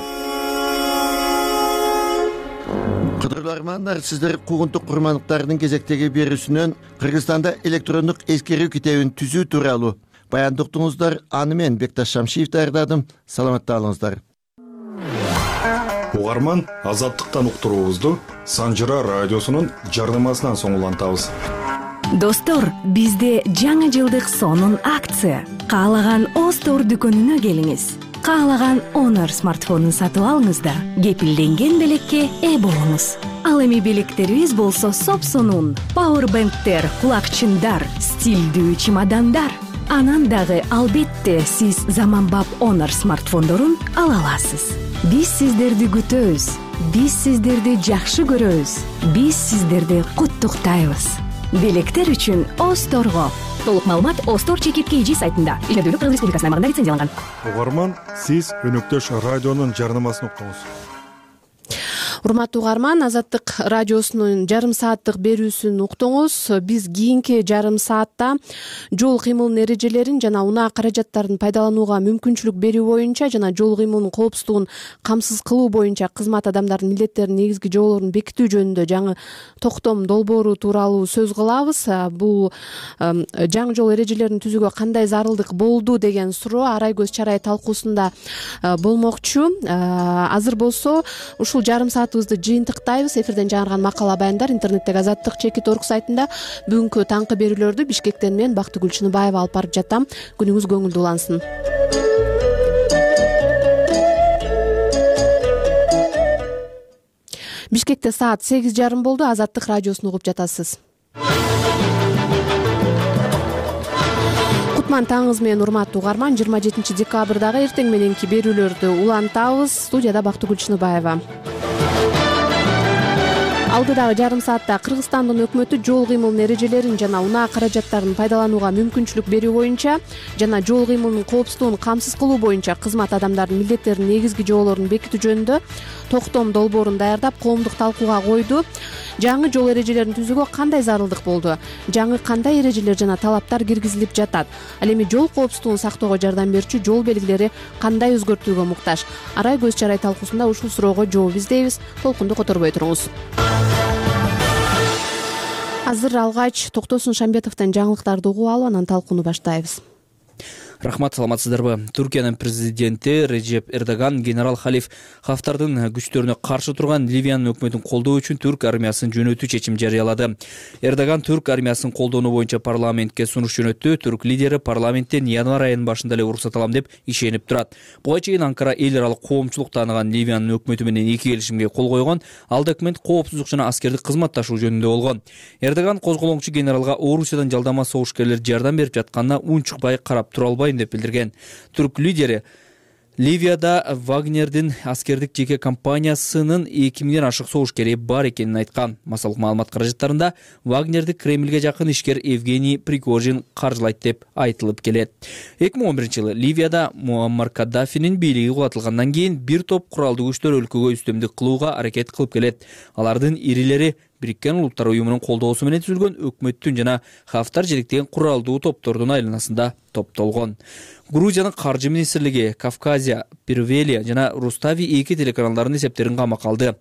Кадырлуу армандар, сиздер куугунтук курмандыктардын кезектеги берүүсүнөн Кыргызстанда электрондук эскерүү китебин түзүү тууралуу баяндыктыңыздар. Аны мен Бекташ Шамшиев даярдадым. Саламатта болуңуздар. Угарман, азаттыктан уктуруубузду Санжыра радиосунун жарнамасынан соң улантабыз. Достор, бизде жаңы жылдык сонун акция. Каалаган Остор дүкөнүнө келиңиз. Каалаган Honor смартфонун сатып алыңыз да кепилденген белекке ээ болуңуз. Ал эми белектерибиз болсо сопсонун пауэрбэнктер, кулакчындар, стилдүү чемодандар. Анан дагы албетте сиз заманбап Honor смартфондорун ала аласыз. Биз сиздерди күтөбүз. Биз сиздерди жакшы көрөбүз. Биз сиздерди куттуктайбыз. Белектер үчүн Осторго. Толук маалымат Остор ЧК сайтында. Илдүүлүк Кыргыз Республикасына аймагында лицензияланган. Угарман, сиз өнөктөш радионун жарнамасын уктуңуз. Урматтуу угарман, Азаттык радиосунун жарым сааттык берүүсүн уктуңуз. Биз кийинки жарым саатта жол кыймылынын эрежелерин жана унаа каражаттарын пайдаланууга мүмкүнчүлүк берүү боюнча жана жол кыймылынын коопсуздугун камсыз кылуу боюнча кызмат адамдарынын милдеттеринин негизги жоболорун бекитүү жөнүндө жаңы токтом долбоору тууралуу сөз кылабыз. Бул жаңы жол эрежелерин түзүүгө кандай зарылдык болду деген суроо арай көз чарай талкуусунда болмокчу. Азыр болсо ушул жарым саатыбызды жыйынтыктайбыз. Эфирден жаңырган макала баяндар интернеттеги Азаттык.org сайтында бүгүнкү таңкы берүүлөрдү Бишкектен мен Бактыгүл Чыныбаева алып барып жатам. Күнүңүз көңүлдүү улансын. Бишкекте саат 8:30 болду. Азаттык радиосун угуп жатасыз. Кутман таңыңыз менен урматтуу угарман. 27 декабрдагы эртең мененки берүүлөрдү улантабыз. Студияда Бактыгүл Чыныбаева. Алдыдагы жарым саатта Кыргызстандын өкмөтү жол кыймылынын эрежелерин жана унаа каражаттарын пайдаланууга мүмкүнчүлүк берүү боюнча жана жол кыймылынын коопсуздугун камсыз кылуу боюнча кызмат адамдарынын милдеттеринин негизги жоболорун бекитүү жөнүндө токтом долбоорун даярдап коомдук талкууга койду. Жаңы жол эрежелерин түзүүгө кандай зарылдык болду? Жаңы кандай эрежелер жана талаптар киргизилип жатат? Ал эми жол коопсуздугун сактоого жардам берүүчү жол белгилери кандай өзгөртүүгө муктаж? Арай көз чарай талкуусунда ушул суроого жооп издейбиз. Толкунду которбой туруңуз. Азыр алгач Токтосун Шамбетовдон жаңылыктарды угуп алып, анан талкууну баштайбыз. Рахмат, саламатсыздарбы? Түркиянын президенти Режеп Эрдоган генерал Халиф Хафтардын күчтөрүнө каршы турган Ливиянын өкмөтүн колдоо үчүн түрк армиясын жөнөтүү чечим жарыялады. Эрдоган түрк армиясын колдоону боюнча парламентке сунуш жөнөттү. Түрк лидери парламенттен январь айынын башында эле уруксат алам деп ишенип турат. Буга чейин Анкара эл аралык коомчулук тааныган Ливиянын өкмөтү менен эки келишимге кол койгон. Ал документ коопсуздук жана аскердик кызматташуу жөнүндө болгон. Эрдоган козголоңчу генералга Орусиядан жалдама согушкерлер жардам берип жатканына унчукпай карап тура албайм деп билдирген. Түрк лидери Ливияда Вагнердин аскердик жеке компаниясынын 2000ден ашык согушкери бар экенин айткан. Массалык маалымат каражаттарында Вагнерди Кремльге жакын ишкер Евгений Пригожин каржылайт деп айтылып келет. 2011-жылы Ливияда Муаммар Каддафинин бийлиги кулатылгандан кийин бир топ куралдуу күчтөр өлкөгө үстөмдүк кылууга аракет кылып келет. Алардын ирилери Бириккен Улуттар уюмунун колдоосу менен түзүлгөн өкмөттүн жана Хафтар жетектеген куралдуу топтордун айланасында топтолгон. Грузиянын каржы министрлиги Кавказия, Первелия жана Рустави эки телеканалдардын эсептерин камакка алды.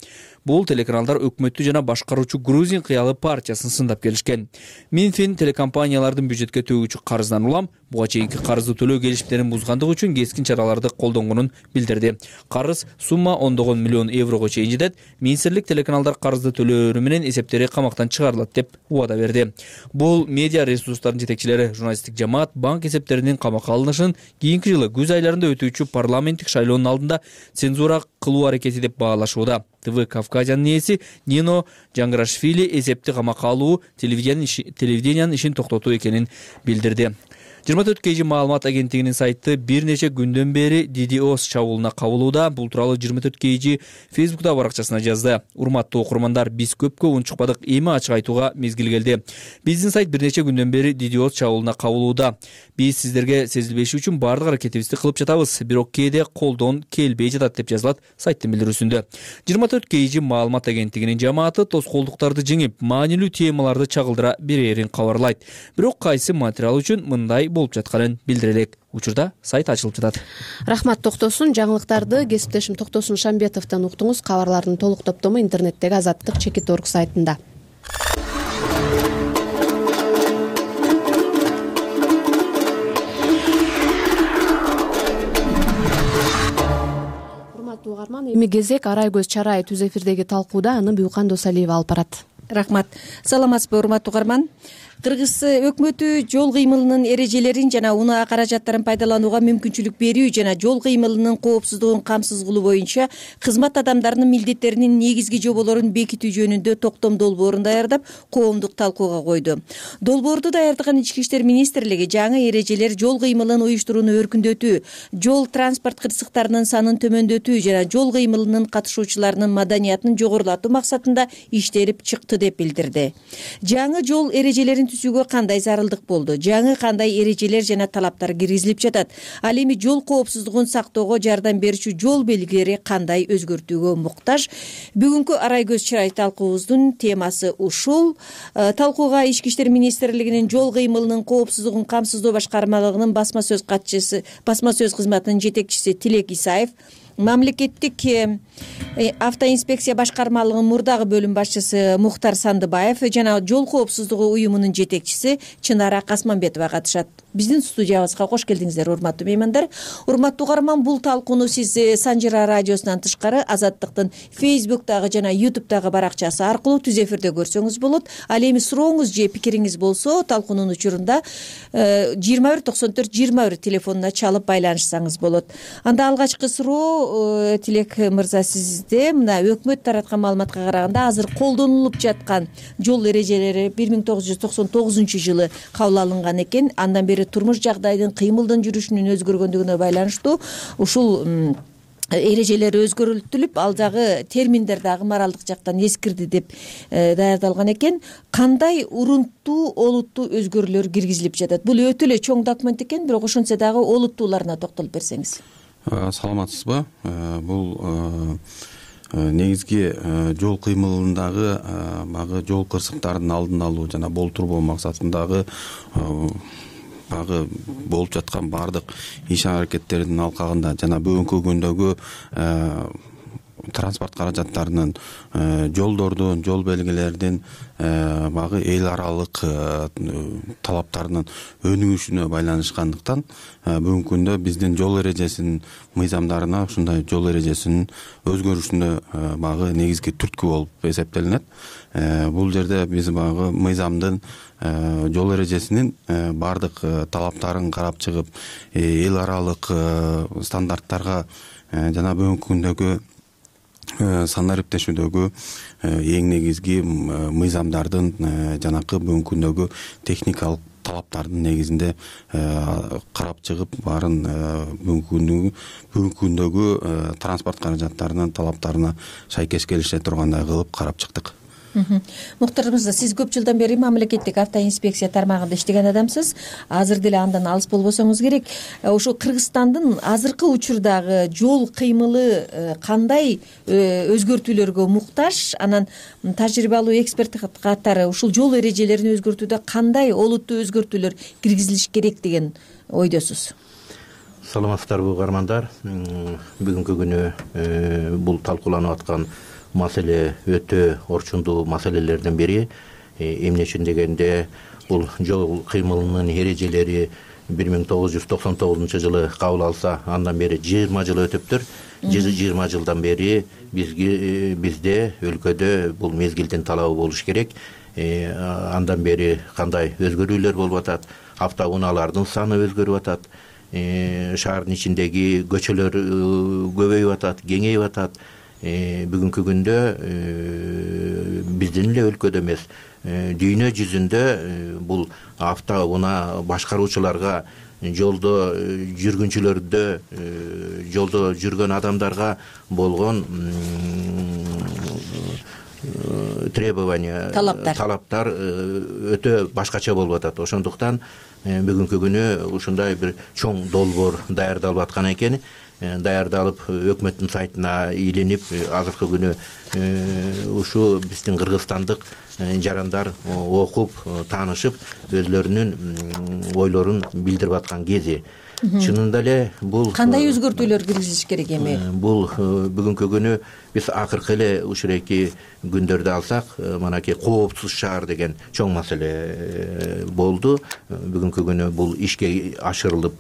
Бул телеканалдар өкмөттү жана башкаруучу Грузин кыялы партиясын сындап келишкен. Минфин телекомпаниялардын бюджетке төгүүчү карыздан улам буга чейинки карызды төлөө келишимдерин бузгандыгы үчүн кескин чараларды колдонгонун билдирди. Карыз сумма ондогон миллион еврого чейин жетет. Министрлик телеканалдар карызды төлөөрү менен эсептери камактан чыгарылат деп убада берди. Бул медиа ресурстардын жетекчилери журналисттик жамаат банк эсептеринин камакка алынышын кийинки жылы күз айларында өтүүчү парламенттик шайлоонун алдында цензура кылуу аракети деп баалашууда. ТВ Кавказиянын ээси Нино Жаңгырашвили эсепти камакка алуу телевидениянын ишин токтотуу экенин билдирди. 24 KG маалымат агенттигинин сайты бир нече күндөн бери DDoS чабуулуна кабылууда. Бул тууралуу 24 KG Facebook'та баракчасына жазды. Урматтуу окурмандар, биз көпкө унчукпадык, эми ачык айтууга мезгил келди. Биздин сайт бир нече күндөн бери DDoS чабуулуна кабылууда. Биз сиздерге сезилбеши үчүн бардык аракетибизди кылып жатабыз. Бирок кээде колдон келбей жатат деп жазылат сайттын билдирүүсүндө. 24 KG маалымат агенттигинин жамааты тоскоолдуктарды жеңип, маанилүү темаларды чагылдыра берерин кабарлайт. Бирок кайсы материал үчүн мындай болуп жатканын билдире элек. Учурда сайт ачылып жатат. Рахмат Токтосун. Жаңылыктарды кесиптешим Токтосун Шамбетовдон уктуңуз. Кабарлардын толук топтому интернеттеги Азаттык.org сайтында. Урматтуу угарман, эми кезек Арай көз чарай түз эфирдеги талкууда, аны Буюкан Досалиева алып барат. Рахмат. Саламатсызбы, урматтуу угарман? Кыргыз өкмөтү жол кыймылынын эрежелерин жана унаа каражаттарын пайдаланууга мүмкүнчүлүк берүү жана жол кыймылынын коопсуздугун камсыз кылуу боюнча кызмат адамдарынын милдеттеринин негизги жоболорун бекитүү жөнүндө токтом долбоорун даярдап, коомдук талкууга койду. Долбоорду даярдаган Ички иштер министрлиги жаңы эрежелер жол кыймылын уюштурууну өркүндөтүү, жол транспорт кырсыктарынын санын төмөндөтүү жана жол кыймылынын катышуучуларынын маданиятын жогорулатуу максатында иштелип чыкты деп билдирди. Жаңы жол эрежелерин түзүүгө кандай зарылдык болду, жаңы кандай эрежелер жана талаптар киргизилип жатат, ал эми жол коопсуздугун сактоого жардам берүүчү жол белгилери кандай өзгөртүүгө муктаж? Бүгүнкү арай көз чырай талкуубуздун темасы ушул. Талкууга Ички иштер министрлигинин жол кыймылынын коопсуздугун камсыздоо башкармалыгынын басма сөз кызматынын жетекчиси Тилек Исаев, мамлекеттик автоинспекция башкармалыгынын мурдагы бөлүм башчысы Мухтар Сандыбаев жана жол коопсуздугу уюмунун жетекчиси Чынара Касманбетова катышат. Биздин студиябызга кош келдиңиздер, урматтуу меймандар. Урматтуу угарман, бул талкууну сиз Санжыра радиосунан тышкары Азаттыктын Facebook'тагы жана YouTube'дагы баракчасы аркылуу түз эфирде көрсөңүз болот. Ал эми сурооңуз же пикириңиз болсо, талкуунун учурунда 2194-21 телефонуна чалып байланышсаңыз болот. Анда алгачкы суроо Тилек мырза сизде. Мына өкмөт тараткан маалыматка караганда азыр колдонулуп жаткан жол эрежелери 1999 кабыл алынган экен. Андан бери турмуш жагдайдын, кыймылдын жүрүшүнүн өзгөргөндүгүнө байланыштуу ушул эрежелер өзгөртүлүп, ал жагы терминдер дагы моралдык жактан эскирди деп даярдалган экен. Кандай урунттуу, олуттуу өзгөрүүлөр киргизилип жатат? Бул өтө эле чоң документ экен, бирок ошентсе дагы олуттууларына токтолуп берсеңиз. Саламатсызбы? Бул негизги жол кыймылындагы багы жол кырсыктарынын алдын алуу жана болтурбоо максатындагы болуп жаткан баардык иш аракеттердин алкагында жана бүгүнкү күндөгү транспорт каражаттарынын, жолдордун, жол белгилердин багы эл аралык талаптарынын өнүгүшүнө байланышкандыктан бүгүнкү күндө биздин жол эрежесинин мыйзамдарына ушундай жол эрежесинин өзгөрүшүнө багы негизги түрткү болуп эсептелинет. Бул жерде биз багы мыйзамдын жол эрежесинин баардык талаптарын карап чыгып, эл аралык стандарттарга жана бүгүнкү күндөгү санариптешүүдөгү эң негизги мыйзамдардын жанакы бүгүнкү күндөгү техникалык талаптардын негизинде карап чыгып, баарын бүгүнкү күндөгү транспорт каражаттарынын талаптарына шайкеш келише тургандай кылып карап чыктык. Мухтар мырза, сиз көп жылдан бери мамлекеттик автоинспекция тармагында иштеген адамсыз. Азыр деле андан алыс болбосоңуз керек. Ошо Кыргызстандын азыркы учурдагы жол кыймылы кандай өзгөртүүлөргө муктаж? Анан тажрыйбалуу эксперт катары ушул жол эрежелерин өзгөртүүдө кандай олуттуу өзгөртүүлөр киргизилиш керек деген ойдосуз? Саламатсыздарбы угармандар. Бүгүнкү күнү бул талкууланып аткан маселе өтө орчундуу маселелердин бири. Эмне үчүн дегенде, бул жол кыймылынын эрежелери 1999 жылы кабыл алса, андан бери 20 жыл өтүптүр. 20 жылдан бери бизде өлкөдө бул мезгилдин талабы болуш керек. Андан бери кандай өзгөрүүлөр болуп атат? Автоунаалардын саны өзгөрүп атат. Шаардын ичиндеги көчөлөр көбөйүп атат, кеңейип атат. Бүгүнкү күндө биздин эле өлкөдө эмес, дүйнө жүзүндө бул автоунаа башкаруучуларга, жолдо жүргүнчүлөрдө, жолдо жүргөн адамдарга болгон требования, талаптар өтө башкача болуп атат. Ошондуктан бүгүнкү күнү ушундай бир чоң долбоор даярдалып аткан экен. Даярдалып өкмөттүн сайтына илинип, азыркы күнү ушу биздин кыргызстандык жарандар окуп, таанышып, өзлөрүнүн ойлорун билдирип аткан кези. Чынында эле бул кандай өзгөртүүлөр киргизилиш керек эми? Бул бүгүнкү күнү биз акыркы эле ушуреки күндөрдө алсак, манакей коопсуз шаар деген чоң маселе болду. Бүгүнкү күнү бул ишке ашырылып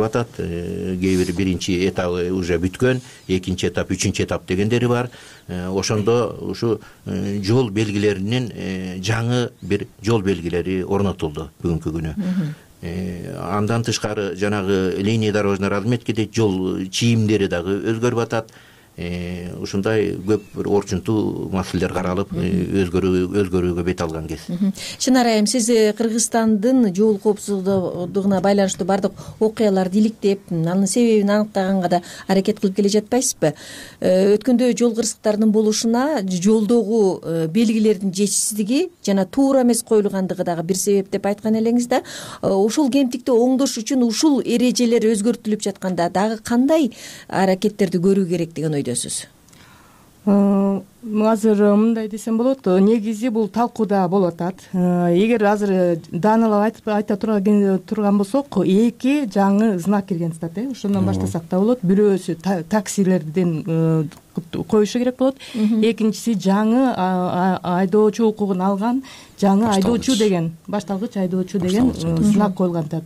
атат. Кээ бир биринчи этабы уже бүткөн, экинчи этап, үчүнчү этап дегендери бар. Ошондо ушу жол белгилеринин жаңы бир жол белгилери орнотулду бүгүнкү күнү. Андан тышкары жанагы линия дорожной разметки дейт, жол чийимдери дагы өзгөрүп атат. ушундай көп бир орчунтуу маселелер каралып өзгөрүүгө бет алган кез. Чынар айым, сиз Кыргызстандын жол коопсуздугуна байланыштуу бардык окуяларды иликтеп, анын себебин аныктаганга да аракет кылып келе жатпайсызбы? Өткөндө жол кырсыктарынын болушуна жолдогу белгилердин жетишсиздиги жана туура эмес коюлгандыгы дагы бир себеп деп айткан элеңиз да. Ушул кемтикти оңдош үчүн ушул эрежелер өзгөртүлүп жатканда дагы кандай аракеттерди көрүү керек деген ойдосуз? Азыр мындай десем болот, негизи бул талкууда болуп атат. Эгер азыр даанылап айта турган болсок, 2 жаңы знак кирген атат, ошондон баштасак да болот. Бирөөсү таксилерден коюшу керек болот. Экинчиси жаңы айдоочу укугун алган жаңы айдоочу деген, башталгыч айдоочу деген знак коюлган атат.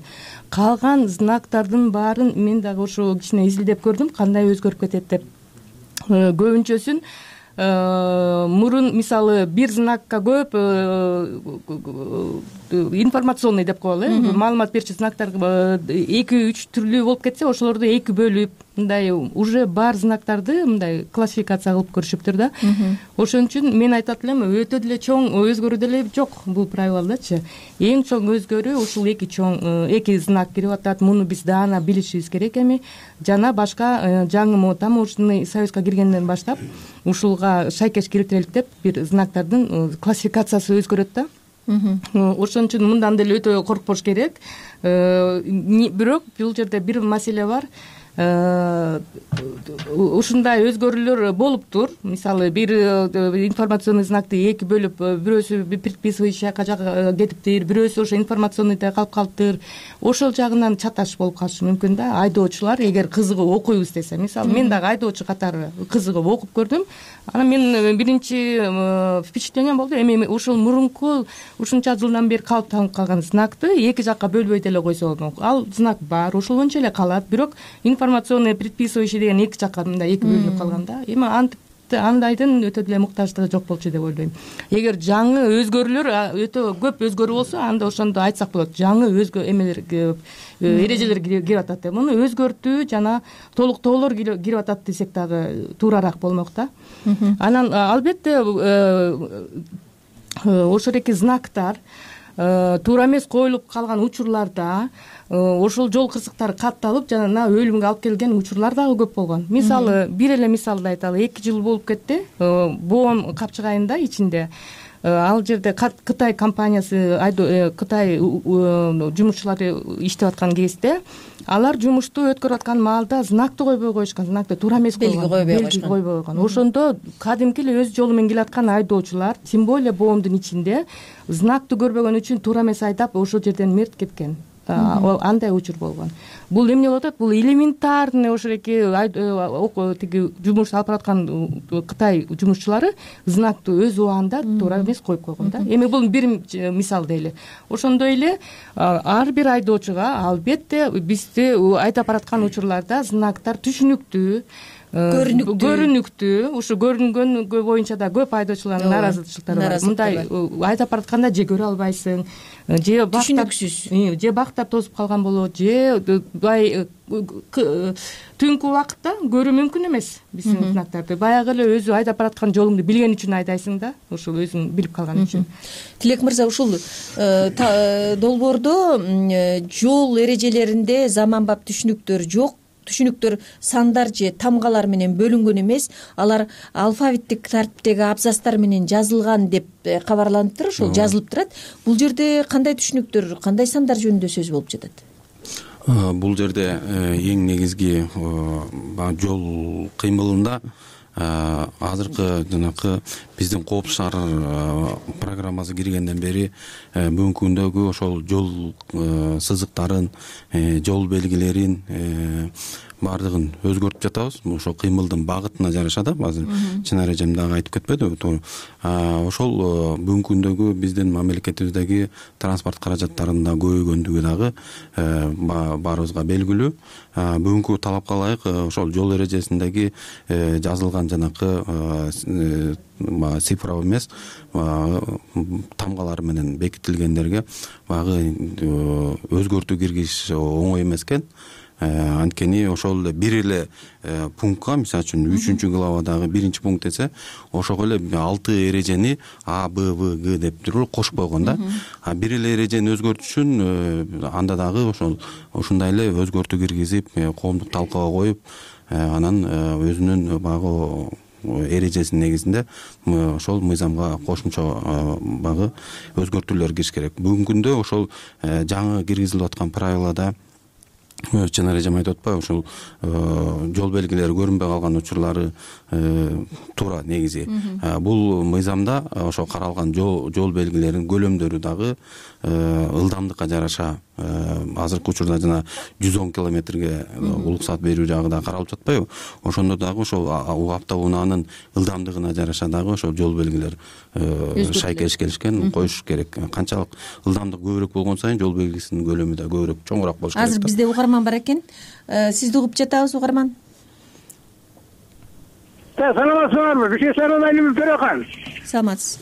Калган знактардын баарын мен дагы ошо кичине изилдеп көрдүм, кандай өзгөрүп кетет деп. Көбүнчөсүн мурун мисалы бир знакка көп информационный деп коелу, маалымат берчү знактар 2-3 түрлүү болуп кетсе, ошолорду 2 бөлүп мындай уже бар знактарды мындай классификация кылып көрүшүптүр да. Ошон үчүн мен айтат элем, өтө деле чоң өзгөрүү деле жок бул правилдачы. Эң чоң өзгөрүү ушул 2 знак кирип атат. Муну биз даана билишибиз керек эми. Жана башка жаңы таможенный союзга киргенден баштап ушулга шайкеш келтирелик деп бир знактардын классификациясы өзгөрөт да. Ошон үчүн мындан деле өтө коркпош керек. Бирок бул жерде бир маселе бар. Ушундай өзгөрүүлөр болуптур. Мисалы бир информационный знакты 2 бөлүп, бирөөсү предписывающий жакка кетиптир, бирөөсү ошо информационныйда калып калыптыр. Ошол жагынан чаташ болуп калышы мүмкүн да. Айдоочулар эгер кызыгып окуйбуз десе, мисалы мен дагы айдоочу катары кызыгып окуп көрдүм. Анан мен биринчи впечатлением болду. Эми ушул мурунку ушунча жылдан бери калыптанып калган знакты 2 жакка бөлбөй деле койсо, ал знак бар, ошол боюнча эле калат. Бирок информационный предписывающий деген 2 жакка мындай 2 бөлүнүп калган да. Эми андайдын өтө деле муктаждыгы жок болчу деп ойлойм. Эгер жаңы өзгөрүүлөр өтө көп өзгөрүү болсо, анда ошондо айтсак болот. Жаңы эмелер эрежелер кирип атат деп. Муну өзгөртүү жана толуктоолор кирип атат десек дагы туурараак болмок да. Анан албетте ошол эки знактар туура эмес коюлуп калган учурларда ошол жол кырсыктары катталып жана өлүмгө алып келген учурлар дагы көп болгон. Мисалы бир эле мисалды айталы. 2 жыл болуп кетти. Боон Капчыгайында ичинде ал жерде Кытай компаниясы, Кытай жумушчулары иштеп аткан кезде алар жумушту өткөрүп аткан маалда знакты койбой коюшкан, знакты туура эмес койгон, белги койбой койгон. Ошондо кадимки эле өз жолу менен келаткан айдоочулар, тем более Боондун ичинде знакты көрбөгөн үчүн туура эмес айдап ошол жерден мерт кеткен. Андай учур болгон. Бул эмне болуп атат? Бул элементарный ошол эки тиги жумуш алып бараткан Кытай жумушчулары знакты өз убагында туура эмес коюп койгон да. Эми бул бир мисал дейли. Ошондой эле ар бир айдоочуга албетте бизди айдап бараткан учурларда знактар түшүнүктүү, көрүнүктүү. Ушу көрүнгөн боюнча да көп айдоочулардын нааразычылыктары бар. Мындай айдап баратканда же көрө албайсың, же түшүнүксүз, же бактар тосуп калган болот, же бай түнкү убакытта көрүү мүмкүн эмес биздин знактарды. Баягы эле өзү айдап бараткан жолуңду билген үчүн айдайсың да, ушул өзүң билип калган үчүн. Тилек мырза, ушул долбоордо жол эрежелеринде заманбап түшүнүктөр жок. Түшүнүктөр сандар же тамгалар менен бөлүнгөн эмес, алар алфавиттик тартиптеги абзацтар менен жазылган деп кабарланыптыр, ошол жазылып турат. Бул жерде кандай түшүнүктөр, кандай сандар жөнүндө сөз болуп жатат? Бул жерде эң негизги жол кыймылында азыркы жанакы биздин коопсуз шаар программасы киргенден бери бүгүнкү күндөгү ошол жол сызыктарын, жол белгилерин баардыгын өзгөртүп жатабыз. Ошол кыймылдын багытына жараша да, азыр Чынар эжем дагы айтып кетпедиби? Ошол бүгүнкү күндөгү биздин мамлекетибиздеги транспорт каражаттарынын да көбөйгөндүгү дагы баарыбызга белгилүү. Бүгүнкү талапка ылайык ошол жол эрежесиндеги жазылган жанакы цифра эмес тамгалар менен бекитилгендерге баягы өзгөртүү киргизиш оңой эмес экен. анткени ошол эле бир эле пунктка, мисалы үчүн 3-главадагы 1-пункт десе, ошого эле 6 эрежени А, Б, В, Г деп туруп кошуп койгон да. А бир эле эрежени өзгөртүш үчүн анда дагы ушундай эле өзгөртүү киргизип, коомдук талкууга коюп, анан өзүнүн баягы эрежесинин негизинде ошол мыйзамга кошумча багы өзгөртүүлөр кириш керек. Бүгүнкү күндө ошол жаңы киргизилип аткан правилада Чынар эжем айтып атпайбы, ушул жол белгилери көрүнбөй калган учурлары туура негизи. Бул мыйзамда ошо каралган жол белгилеринин көлөмдөрү дагы ылдамдыкка жараша азыркы учурда жана 110 километрге уруксат берүү жагы да каралып жатпайбы? Ошондо дагы ошол автоунаанын ылдамдыгына жараша дагы ошол жол белгилер шайкелиш келишкен коюш керек. Канчалык ылдамдык көбүрөөк болгон сайын жол белгисинин көлөмү да көбүрөөк чоңураак болуш керек. Азыр бизде угарман бар экен. Сизди угуп жатабыз, угарман. Саламатсыздарбы? Бишкектен Айлым Төрехан. Саламатсыз.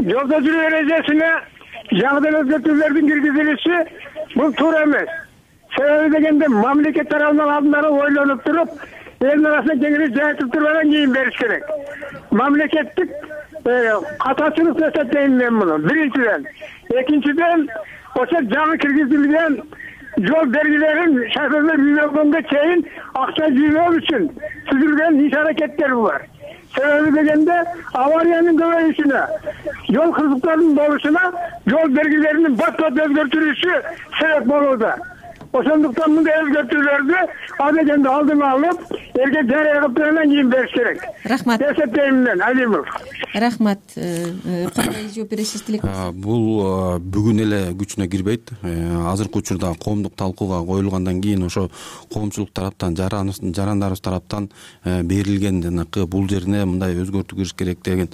Жолдо жүрүү эрежесине жаңыдан өзгөртүүлөрдүн киргизилиши бул туура эмес. Себеби дегенде мамлекет тарабынан алдындары ойлонуп туруп, элдин арасына кеңири жайтып туруп анан кийин бериш керек. Мамлекеттик катачылык деп эсептейм мен муну. Биринчиден, экинчиден, ошо жаңы киргизилген жол белгилерин шоферлер үйрөнгөнгө чейин акча жыйноо үчүн түзүлгөн иш-аракеттер бар. Себеби дегенде авариянын көбөйүшүнө, жол кырсыктарынын болушуна жол белгилеринин бат-бат өзгөртүлүшү себеп болууда. Ошондуктан мындай өзгөртүүлөрдү адегенде алдын алып, элге жарыя кылып анан кийин бериш керек. Рахмат. Эсептейм мен, Алимов. Рахмат. Кандай жооп бересиз, тилек? Бул бүгүн эле күчүнө кирбейт. Азыркы учурда коомдук талкууга коюлгандан кийин ошо коомчулук тараптан, жарандарыбыз тараптан берилген жанакы бул жерине мындай өзгөртүү кириш керек деген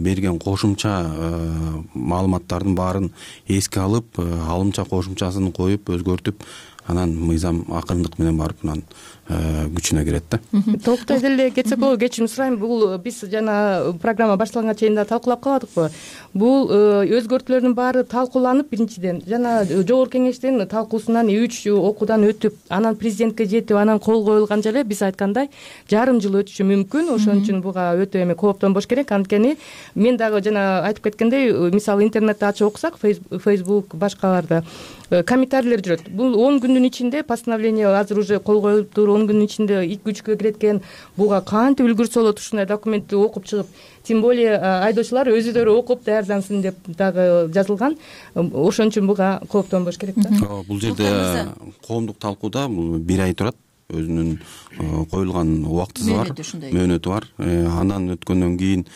берген кошумча маалыматтардын баарын эске алып, алымча кошумчасын коюп, өзгөртүп, анан мыйзам акырындык менен барып анан күчүнө кирет да. Толуктай деле кетсек болобу, кечирим сурайм. Бул биз жана программа башталганга чейин да талкуулап калдыкпы? Бул өзгөртүүлөрдүн баары талкууланып, биринчиден жана жогорку кеңештин талкуусунан 3 окуудан өтүп, анан президентке жетип, анан кол коюлганча эле биз айткандай жарым жыл өтүшү мүмкүн. Ошон үчүн буга өтө эме кооптонбош керек. Анткени мен дагы жана айтып кеткендей, мисалы интернетти ачып окусак, Facebook башкаларда комментарийлер жүрөт. Бул 10 күндүн ичинде постановление азыр уже кол коюлуптур, 10 күндүн ичинде күчкө кирет экен. Буга кантип үлгүрсө болот ушундай документти окуп чыгып, тем более айдоочулар өзүлөрү окуп даярдансын деп дагы жазылган. Ошон үчүн буга кооптонбош керек да. Бул жерде коомдук талкууда бул 1 ай турат. Өзүнүн коюлган убактысы бар, мөөнөтү бар. Андан өткөндөн кийин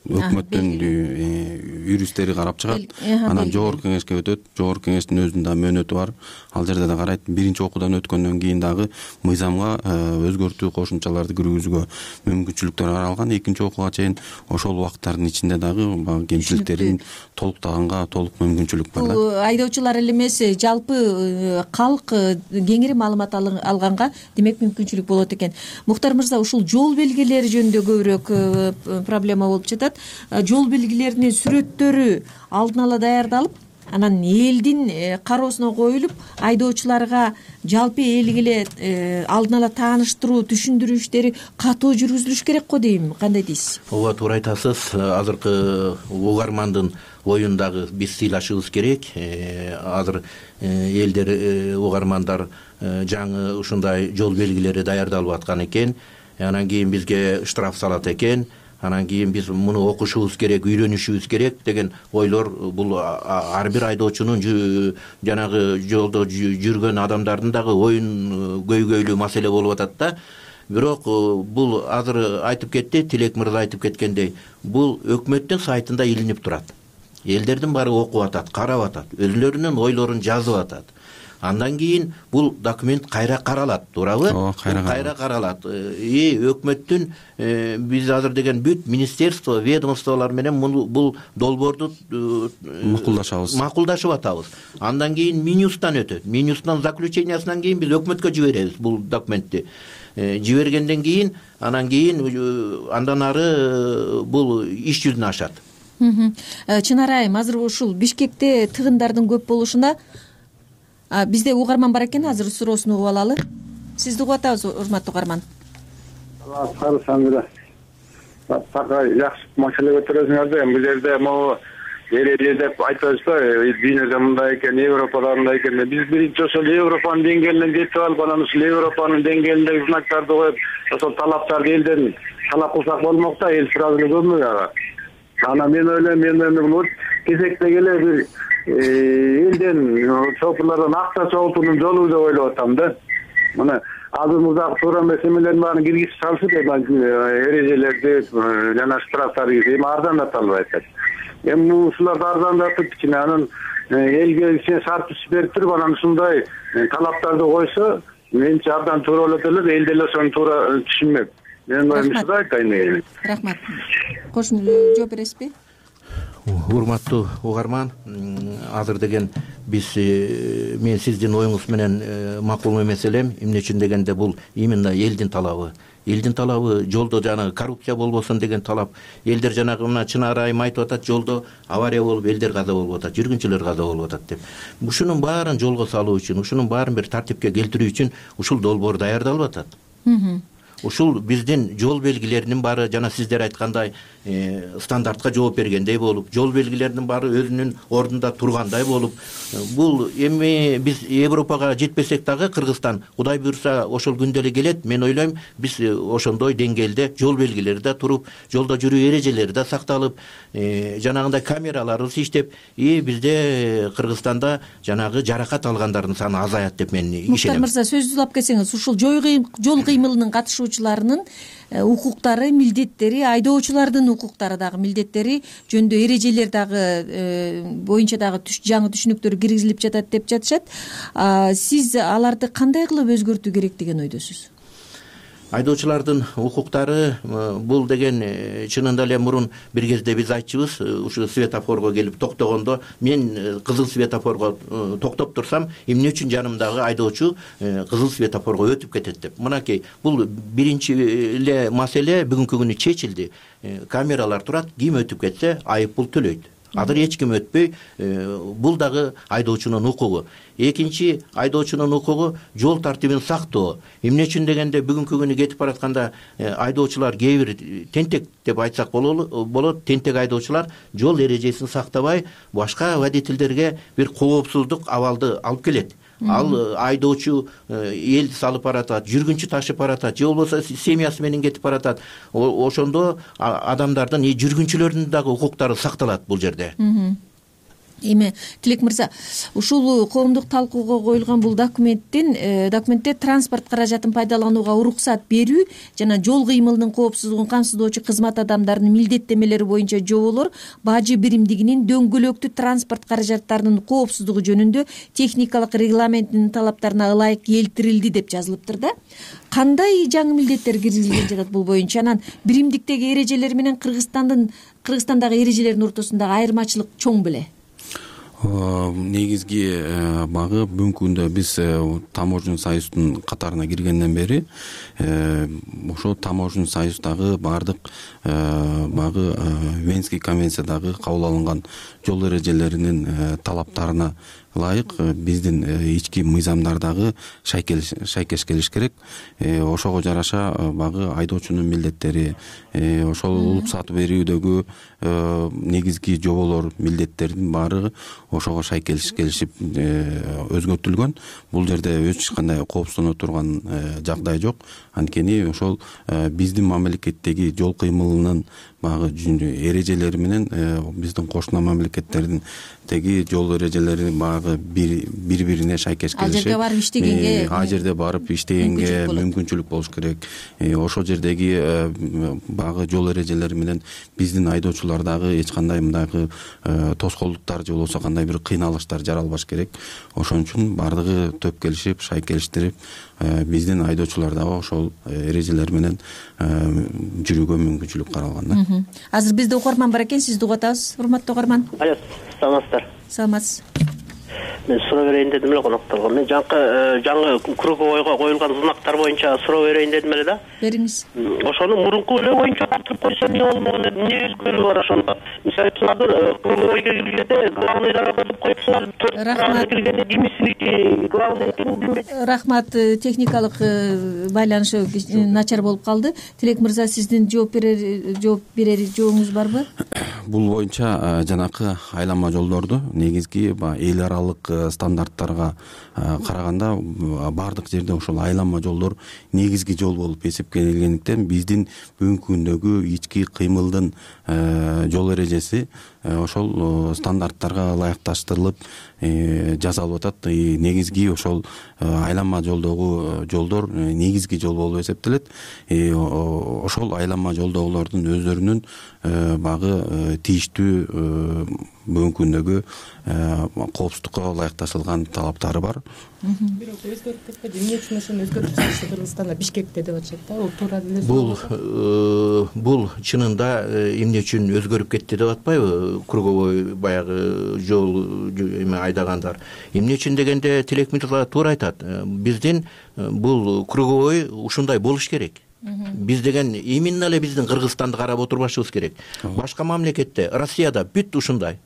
өкмөттүн юристтери карап чыгат, анан жогорку кеңешке өтөт. Жогорку кеңештин өзүнүн да мөөнөтү бар. Ал жерде да карайт. Биринчи окуудан өткөндөн кийин дагы мыйзамга өзгөртүү кошумчаларды киргизүүгө мүмкүнчүлүктөр каралган. Экинчи окууга чейин ошол убакыттардын ичинде дагы кемчиликтерин толуктаганга толук мүмкүнчүлүк бар да. Бул айдоочулар эле эмес, жалпы калк кеңири маалымат алганга демек мүмкүнчүлүк болот экен. Мухтар мырза, ушул жол белгилери жөнүндө көбүрөөк проблема болуп жатат. Жол белгилеринин сүрөттөрү алдын ала даярдалып, анан элдин кароосуна коюлуп, айдоочуларга жалпы элге эле алдын ала тааныштыруу, түшүндүрүү иштери катуу жүргүзүлүш керек го дейм. Кандай дейсиз? Ооба, туура айтасыз. Азыркы угармандын оюн дагы биз сыйлашыбыз керек. Азыр элдер, угармандар жаңы ушундай жол белгилери даярдалып аткан экен. Анан кийин бизге штраф салат экен. Анан кийин биз муну окушубуз керек, үйрөнүшүбүз керек деген ойлор бул ар бир айдоочунун жанагы жолдо жүргөн адамдардын дагы оюн көйгөйлүү маселе болуп атат да. Бирок бул азыр айтып кетти, Тилек мырза айтып кеткендей, бул өкмөттүн сайтында илинип турат. Элдердин баары окуп атат, карап атат, өзүлөрүнүн ойлорун жазып атат. Андан кийин бул документ кайра каралат, туурабы? Кайра каралат. Өкмөттүн биз азыр деген бүт министерство, ведомстволор менен бул долбоорду макулдашып атабыз. Андан кийин Минюстан өтөт. Минюстан заключениясынан кийин биз өкмөткө жиберебиз бул документти. Жибергенден кийин, андан ары бул иш жүзүнө ашат. Чынар айым, азыр ушул Бишкекте тыгындардын көп болушуна Бизде угарман бар экен, азыр суроосун угуп алалы. Сизди угуп атабыз, урматтуу угарман. Саңыра така жакшы маселе көтөрөсүңөр да. Бул жерде могу эреже деп айтпайсызбы, дүйнөдө мындай экен, Европада мындай экен. Биз биринчи ошол Европанын деңгээлине жетип алып, анан ушул Европанын деңгээлиндеги знактарды коюп, ошол талаптарды элден талап кылсак болмок да, эл сразу эле көрмөк ага. Анан мен ойлойм, бул кезекте келе бир элден шопурлардан акча чогултуунун жолу деп ойлоп атам да. Мына азыр мурдагы туура эмес эмелердин баарын киргизип салышып, эрежелерди жана штрафтарды эми арзандата атат. Эми ушуларды арзандатып, кичине анан элге кичине шарт берип туруп, анан ушундай талаптарды койсо, менимче абдан туура болот эле, эл деле ошону туура түшүнмөк. Мен ушундай айтайын. Рахмат. Кошумча жооп бересизби? Урматтуу угарман, азыр деген биз мен сиздин оюңуз менен макул эмес элем. Эмне үчүн дегенде бул именно элдин талабы. Элдин талабы жолдо жанагы коррупция болбосун деген талап. Элдер жанагы мына Чынар айым айтып атат, жолдо авария болуп, элдер каза болуп атат, жүргүнчүлөр каза болуп атат деп. Ушунун баарын жолго салуу үчүн, ушунун баарын бир тартипке келтирүү үчүн ушул долбоор даярдалып атат. Ушул биздин жол белгилеринин баары жана сиздер айткандай стандартка жооп бергендей болуп, жол белгилеринин баары өзүнүн ордунда тургандай болуп, бул эми биз Европага жетпесек дагы Кыргызстан Кудай буйрса ошол күндө эле келет. Мен ойлойм, биз ошондой деңгээлде жол белгилери да туруп, жолдо жүрүү эрежелери да сакталып, жанагындай камераларыбыз иштеп, бизде Кыргызстанда жанагы жаракат алгандардын саны азаят деп мен ишенем. Муктар мырза, сөзүңүздү улап келсеңиз, ушул жол кыймылынын катышуучуларынын укуктары, милдеттери, айдоочулардын укуктары дагы, милдеттери жөнүндө эрежелер дагы боюнча дагы жаңы түшүнүктөр киргизилип жатат деп жатышат. Сиз аларды кандай кылып өзгөртүү керек деген ойдосуз? Айдоочулардын укуктары бул деген чынында эле мурун бир кезде биз айтчубуз, ушу светофорго келип токтогондо, мен кызыл светофорго токтоп турсам, эмне үчүн жанымдагы айдоочу кызыл светофорго өтүп кетет деп. Мынакей, бул биринчи эле маселе бүгүнкү күнү чечилди. Камералар турат, ким өтүп кетсе айып пул төлөйт. Азыр эч ким өтпөй, бул дагы айдоочунун укугу. Экинчи, айдоочунун укугу жол тартибин сактоо. Эмне үчүн дегенде бүгүнкү күнү кетип баратканда айдоочулар кээ бир тентек деп айтсак болот, тентек айдоочулар жол эрежесин сактабай, башка водительдерге бир коопсуздук абалды алып келет. Ал айдоочу элди салып баратат, жүргүнчү ташып баратат, же болбосо семьясы менен кетип баратат. Ошондо адамдардын, жүргүнчүлөрдүн дагы укуктары сакталат бул жерде. Эми Тилек мырза, ушул коомдук талкууга коюлган бул документте транспорт каражатын пайдаланууга уруксат берүү жана жол кыймылынын коопсуздугун камсыздоочу кызмат адамдарынын милдеттенмелери боюнча жоболор бажы биримдигинин дөңгөлөктүү транспорт каражаттарынын коопсуздугу жөнүндө техникалык регламентинин талаптарына ылайык келтирилди деп жазылыптыр да. Кандай жаңы милдеттер киргизилген жатат бул боюнча? Анан биримдиктеги эрежелер менен Кыргызстандагы эрежелердин ортосундагы айырмачылык чоң беле? Негизги багы бүгүнкү күндө биз таможен союздун катарына киргенден бери ошол таможен союздагы баардык багы Венский конвенциядагы кабыл алынган жол эрежелеринин талаптарына ылайык биздин ички мыйзамдардагы шайкеш келиш керек. Ошого жараша багы айдоочунун милдеттери, ошол уруксат берүүдөгү негизги жоболор, милдеттердин баары ошого шайкеш келишип өзгөртүлгөн. Бул жерде эч кандай коопсуздана турган жагдай жок. Анткени ошол биздин мамлекеттеги жол кыймылынын багы эрежелери менен биздин кошуна мамлекеттердин теги жол эрежелери багы бири-бирине шайкеш келишип, ал жерде барып иштегенге мүмкүнчүлүк болуш керек. Ошол жердеги багы жол эрежелери менен биздин айдоочулар дагы эч кандай мындагы тоскоолдуктар же болбосо кандай бир кыйналыштар жаралбаш керек. Ошон үчүн баардыгы төп келишип, шайкелиштирип, биздин айдоочулар дагы ошол эрежелер менен жүрүүгө мүмкүнчүлүк каралган да. Азыр бизде угарман бар экен, сизди угуп атабыз, урматтуу угарман. Саламатсыздар. Саламатсыз. мен суроо берейин дедим эле конокторго. Мен жаңы круговойго коюлган знактар боюнча суроо берейин дедим эле да. Бериңиз. Ошону мурунку эле боюнча калтырып койсо эмне болмок эле, эмне өзгөрүү бар ошондо? Мисалы үчүн азыр круговойго киргенде главныйдан өтүп коюпсуңар. Рахмат. Киргенде кимисиники главный экенин билбейт. Рахмат. Техникалык байланыш начар болуп калды. Тилек мырза, сиздин жооп берер жообуңуз барбы? Бул боюнча жанакы айланма жолдорду негизги эл аралык стандарттарга караганда баардык жерде ошол айланма жолдор негизги жол болуп эсептелгендиктен биздин бүгүнкү күндөгү ички кыймылдын жол эрежеси ошол стандарттарга ылайыкташтырылып жасалып атат. Негизги ошол айланма жолдогу жолдор негизги жол болуп эсептелет. Ошол айланма жолдогулардын өздөрүнүн багы тийиштүү бүгүнкү күндөгү коопсуздукка ылайыкташылган талаптары бар. Бирок өзгөрүп кетпеди. Эмне үчүн ошону өзгөртүп чыгышты Кыргызстанда, Бишкекте деп атышат да. Бул туура эле. Бул чынында эмне үчүн өзгөрүп кетти деп атпайбы? Круговой баягы жол айдагандар. Эмне үчүн дегенде Тилек мырза туура айтат. Биздин бул круговой ушундай болуш керек. Биз деген именно эле биздин Кыргызстанды карап отурбашыбыз керек. Башка мамлекетте, Россияда бүт ушундай.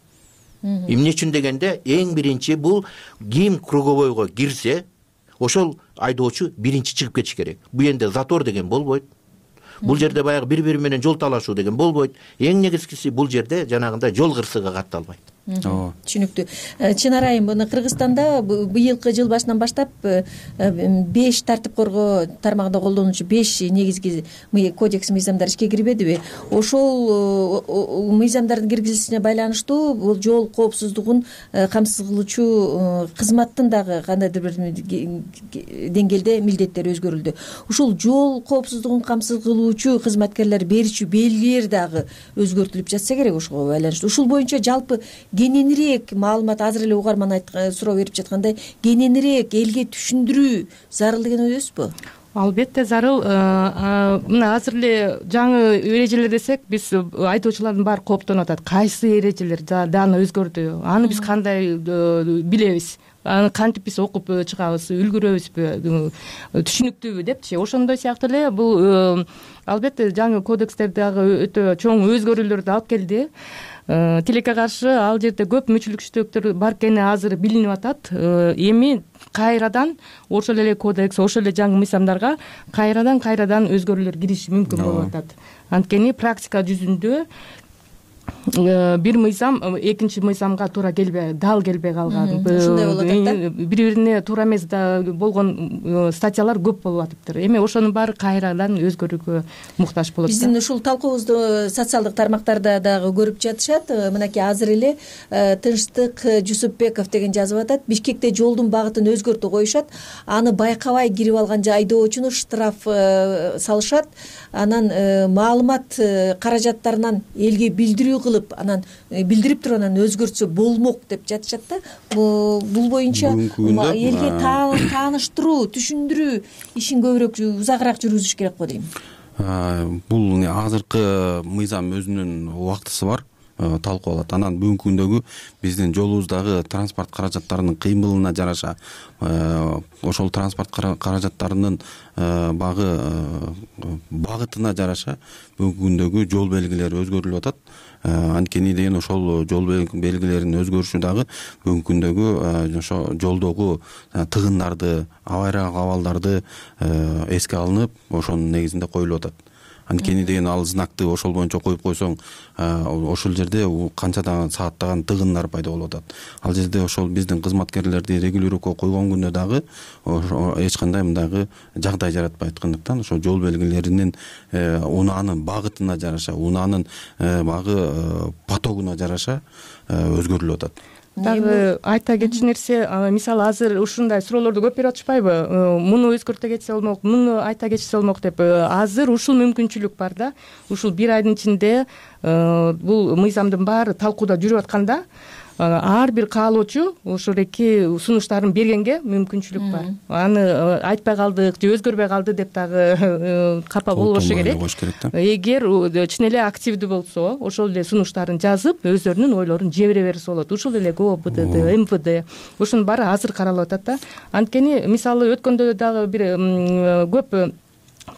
Эмне үчүн дегенде эң биринчи бул ким круговойго кирсе, ошол айдоочу биринчи чыгып кетиш керек. Бул жерде затор деген болбойт. Бул жерде баягы бири менен жол талашуу деген болбойт. Эң негизгиси бул жерде жанагындай жол кырсыгы катталбайт. Түшүнүктүү. Чынар айым, мына Кыргызстанда быйылкы жыл башынан баштап 5 тартип коргоо тармагында колдонуучу 5 негизги кодекс мыйзамдар ишке кирбедиби? Ошол мыйзамдардын киргизилишине байланыштуу бул жол коопсуздугун камсыз кылуучу кызматтын дагы кандайдыр бир деңгээлде милдеттери өзгөрүлдү. Ушул жол коопсуздугун камсыз кылуучу кызматкерлер берүүчү белгилер дагы өзгөртүлүп жатса керек ошого байланыштуу. Ушул боюнча жалпы кененирээк маалымат, азыр эле угарман суроо берип жаткандай, кененирээк элге түшүндүрүү зарыл деген ойдосузбу? Албетте зарыл. Мына азыр эле жаңы эрежелер десек, биз айдоочулардын баары кооптонуп атат. Кайсы эрежелер дагы өзгөрдү? Аны биз кандай билебиз? Аны кантип биз окуп чыгабыз, үлгүрөбүзбү, түшүнүктүүбү депчи. Ошондой сыяктуу эле бул албетте жаңы кодекстер дагы өтө чоң өзгөрүүлөрдү алып келди. Тилекке каршы ал жерде көп мүчүлүкчүлүктөр бар экени азыр билинип атат. Эми кайрадан ошол эле кодекс, ошол эле жаңы мыйзамдарга кайрадан өзгөрүүлөр кириши мүмкүн болуп атат. Анткени практика жүзүндө бир мыйзам экинчи мыйзамга туура дал келбей калган, ушундай болуп атат да. Бири-бирине туура эмес болгон статьялар көп болуп атыптыр. Эми ошонун баары кайрадан өзгөрүүгө муктаж болот. Биздин ушул талкуубузду социалдык тармактарда дагы көрүп жатышат. Мынакей азыр эле Тынчтык Жусупбеков деген жазып атат. Бишкекте жолдун багытын өзгөртүп коюшат. Аны байкабай кирип алган айдоочуну штраф салышат. Анан маалымат каражаттарынан элге билдирүү кылып, анан билдирип туруп анан өзгөртсө болмок деп жатышат да. Бул боюнча элге тааныштыруу, түшүндүрүү ишин көбүрөөк узагыраак жүргүзүш керек го дейм. Бул азыркы мыйзам өзүнүн убактысы бар, талкууланат. Анан бүгүнкү күндөгү биздин жолубуздагы транспорт каражаттарынын кыймылына жараша ошол транспорт каражаттарынын багытына жараша бүгүнкү күндөгү жол белгилери өзгөрүлүп атат. Анткени деген ошол жол белгилеринин өзгөрүшү дагы бүгүнкү күндөгү ошо жолдогу тыгындарды, авариялык абалдарды эске алынып, ошонун негизинде коюлуп атат. Анткени деген ал знакты ошол боюнча коюп койсоң, ошол жерде канчадан сааттаган тыгындар пайда болуп атат. Ал жерде ошол биздин кызматкерлерди регулировка койгон күндө дагы эч кандай мындагы жагдай жаратпай аткандыктан ошол жол белгилеринин унаанын багытына жараша, унаанын багы потогуна жараша өзгөрүлүп атат. Дагы айта кетчү нерсе, мисалы азыр ушундай суроолорду көп берип атышпайбы? Муну өзгөртө кетсе болмок, муну айта кетсе болмок деп. Азыр ушул мүмкүнчүлүк бар да. Ушул бир айдын ичинде бул мыйзамдын баары талкууда жүрүп атканда, ар бир каалоочу ошол эки сунуштарын бергенге мүмкүнчүлүк бар. Аны айтпай калдык же өзгөрбөй калды деп дагы капа болбошу керек. Эгер чын эле активдүү болсо ошол эле сунуштарын жазып өздөрүнүн ойлорун жибере берсе болот. Ушул эле КОБДД, МВД ушунун баары азыр каралып атат да. Анткени мисалы өткөндө дагы бир көп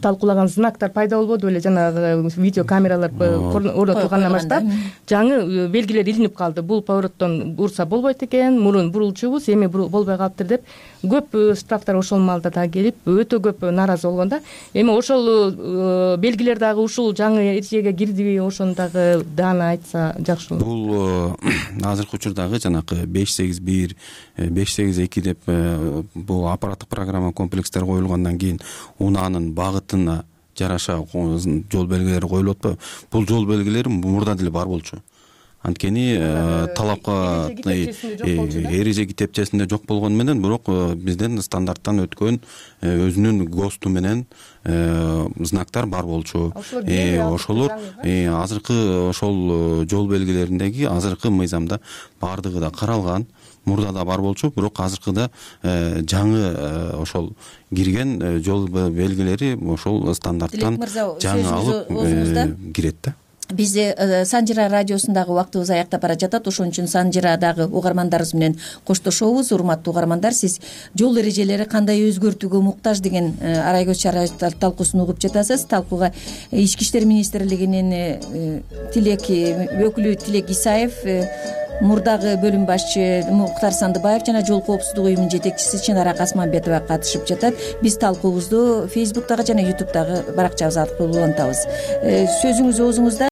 талкуулаган знактар пайда болбоду беле, жанагы видео камералар орнотулгандан баштап жаңы белгилер илинип калды. Бул повороттон урса болбойт экен, мурун бурулчубуз, эми болбой калыптыр деп көп штрафтар ошол маалда дагы келип, өтө көп нааразы болгон да. Эми ошол белгилер дагы ушул жаңы эрежеге кирдиби, ошону дагы даана айтса жакшы болот. Бул азыркы учурдагы жанакы 581, 582 деп бул аппараттык программа комплекстер коюлгандан кийин унаанын багытына жараша жол белгилери коюлуп атпайбы? Бул жол белгилери мурда деле бар болчу. Анткени талапка эреже китепчесинде жок болгону менен, бирок бизден стандарттан өткөн өзүнүн ГОСТу менен знактар бар болчу. Ошолор азыркы ошол жол белгилериндеги азыркы мыйзамда баардыгы да каралган. Мурда да бар болчу, бирок азыркыда жаңы ошол кирген жол белгилери ошол стандарттан жаңы алып кирет да. Биз Санжира радиосундагы убактыбыз аяктап бара жатат. Ошон үчүн Санжирадагы угармандарыбыз менен коштошобуз. Урматтуу угармандар, сиз жол эрежелери кандай өзгөртүүгө муктаж деген арай көз чара талкуусун угуп жатасыз. Талкууга Ички иштер министрлигинин өкүлү Тилек Исаев, мурдагы бөлүм башчы Муктар Сандыбаев жана жол коопсуздугу уюмунун жетекчиси Чынара Касманбетова катышып жатат. Биз талкуубузду Facebook'тагы жана YouTube'дагы баракчабыз аркылуу улантабыз. Сөзүңүз оозуңузда.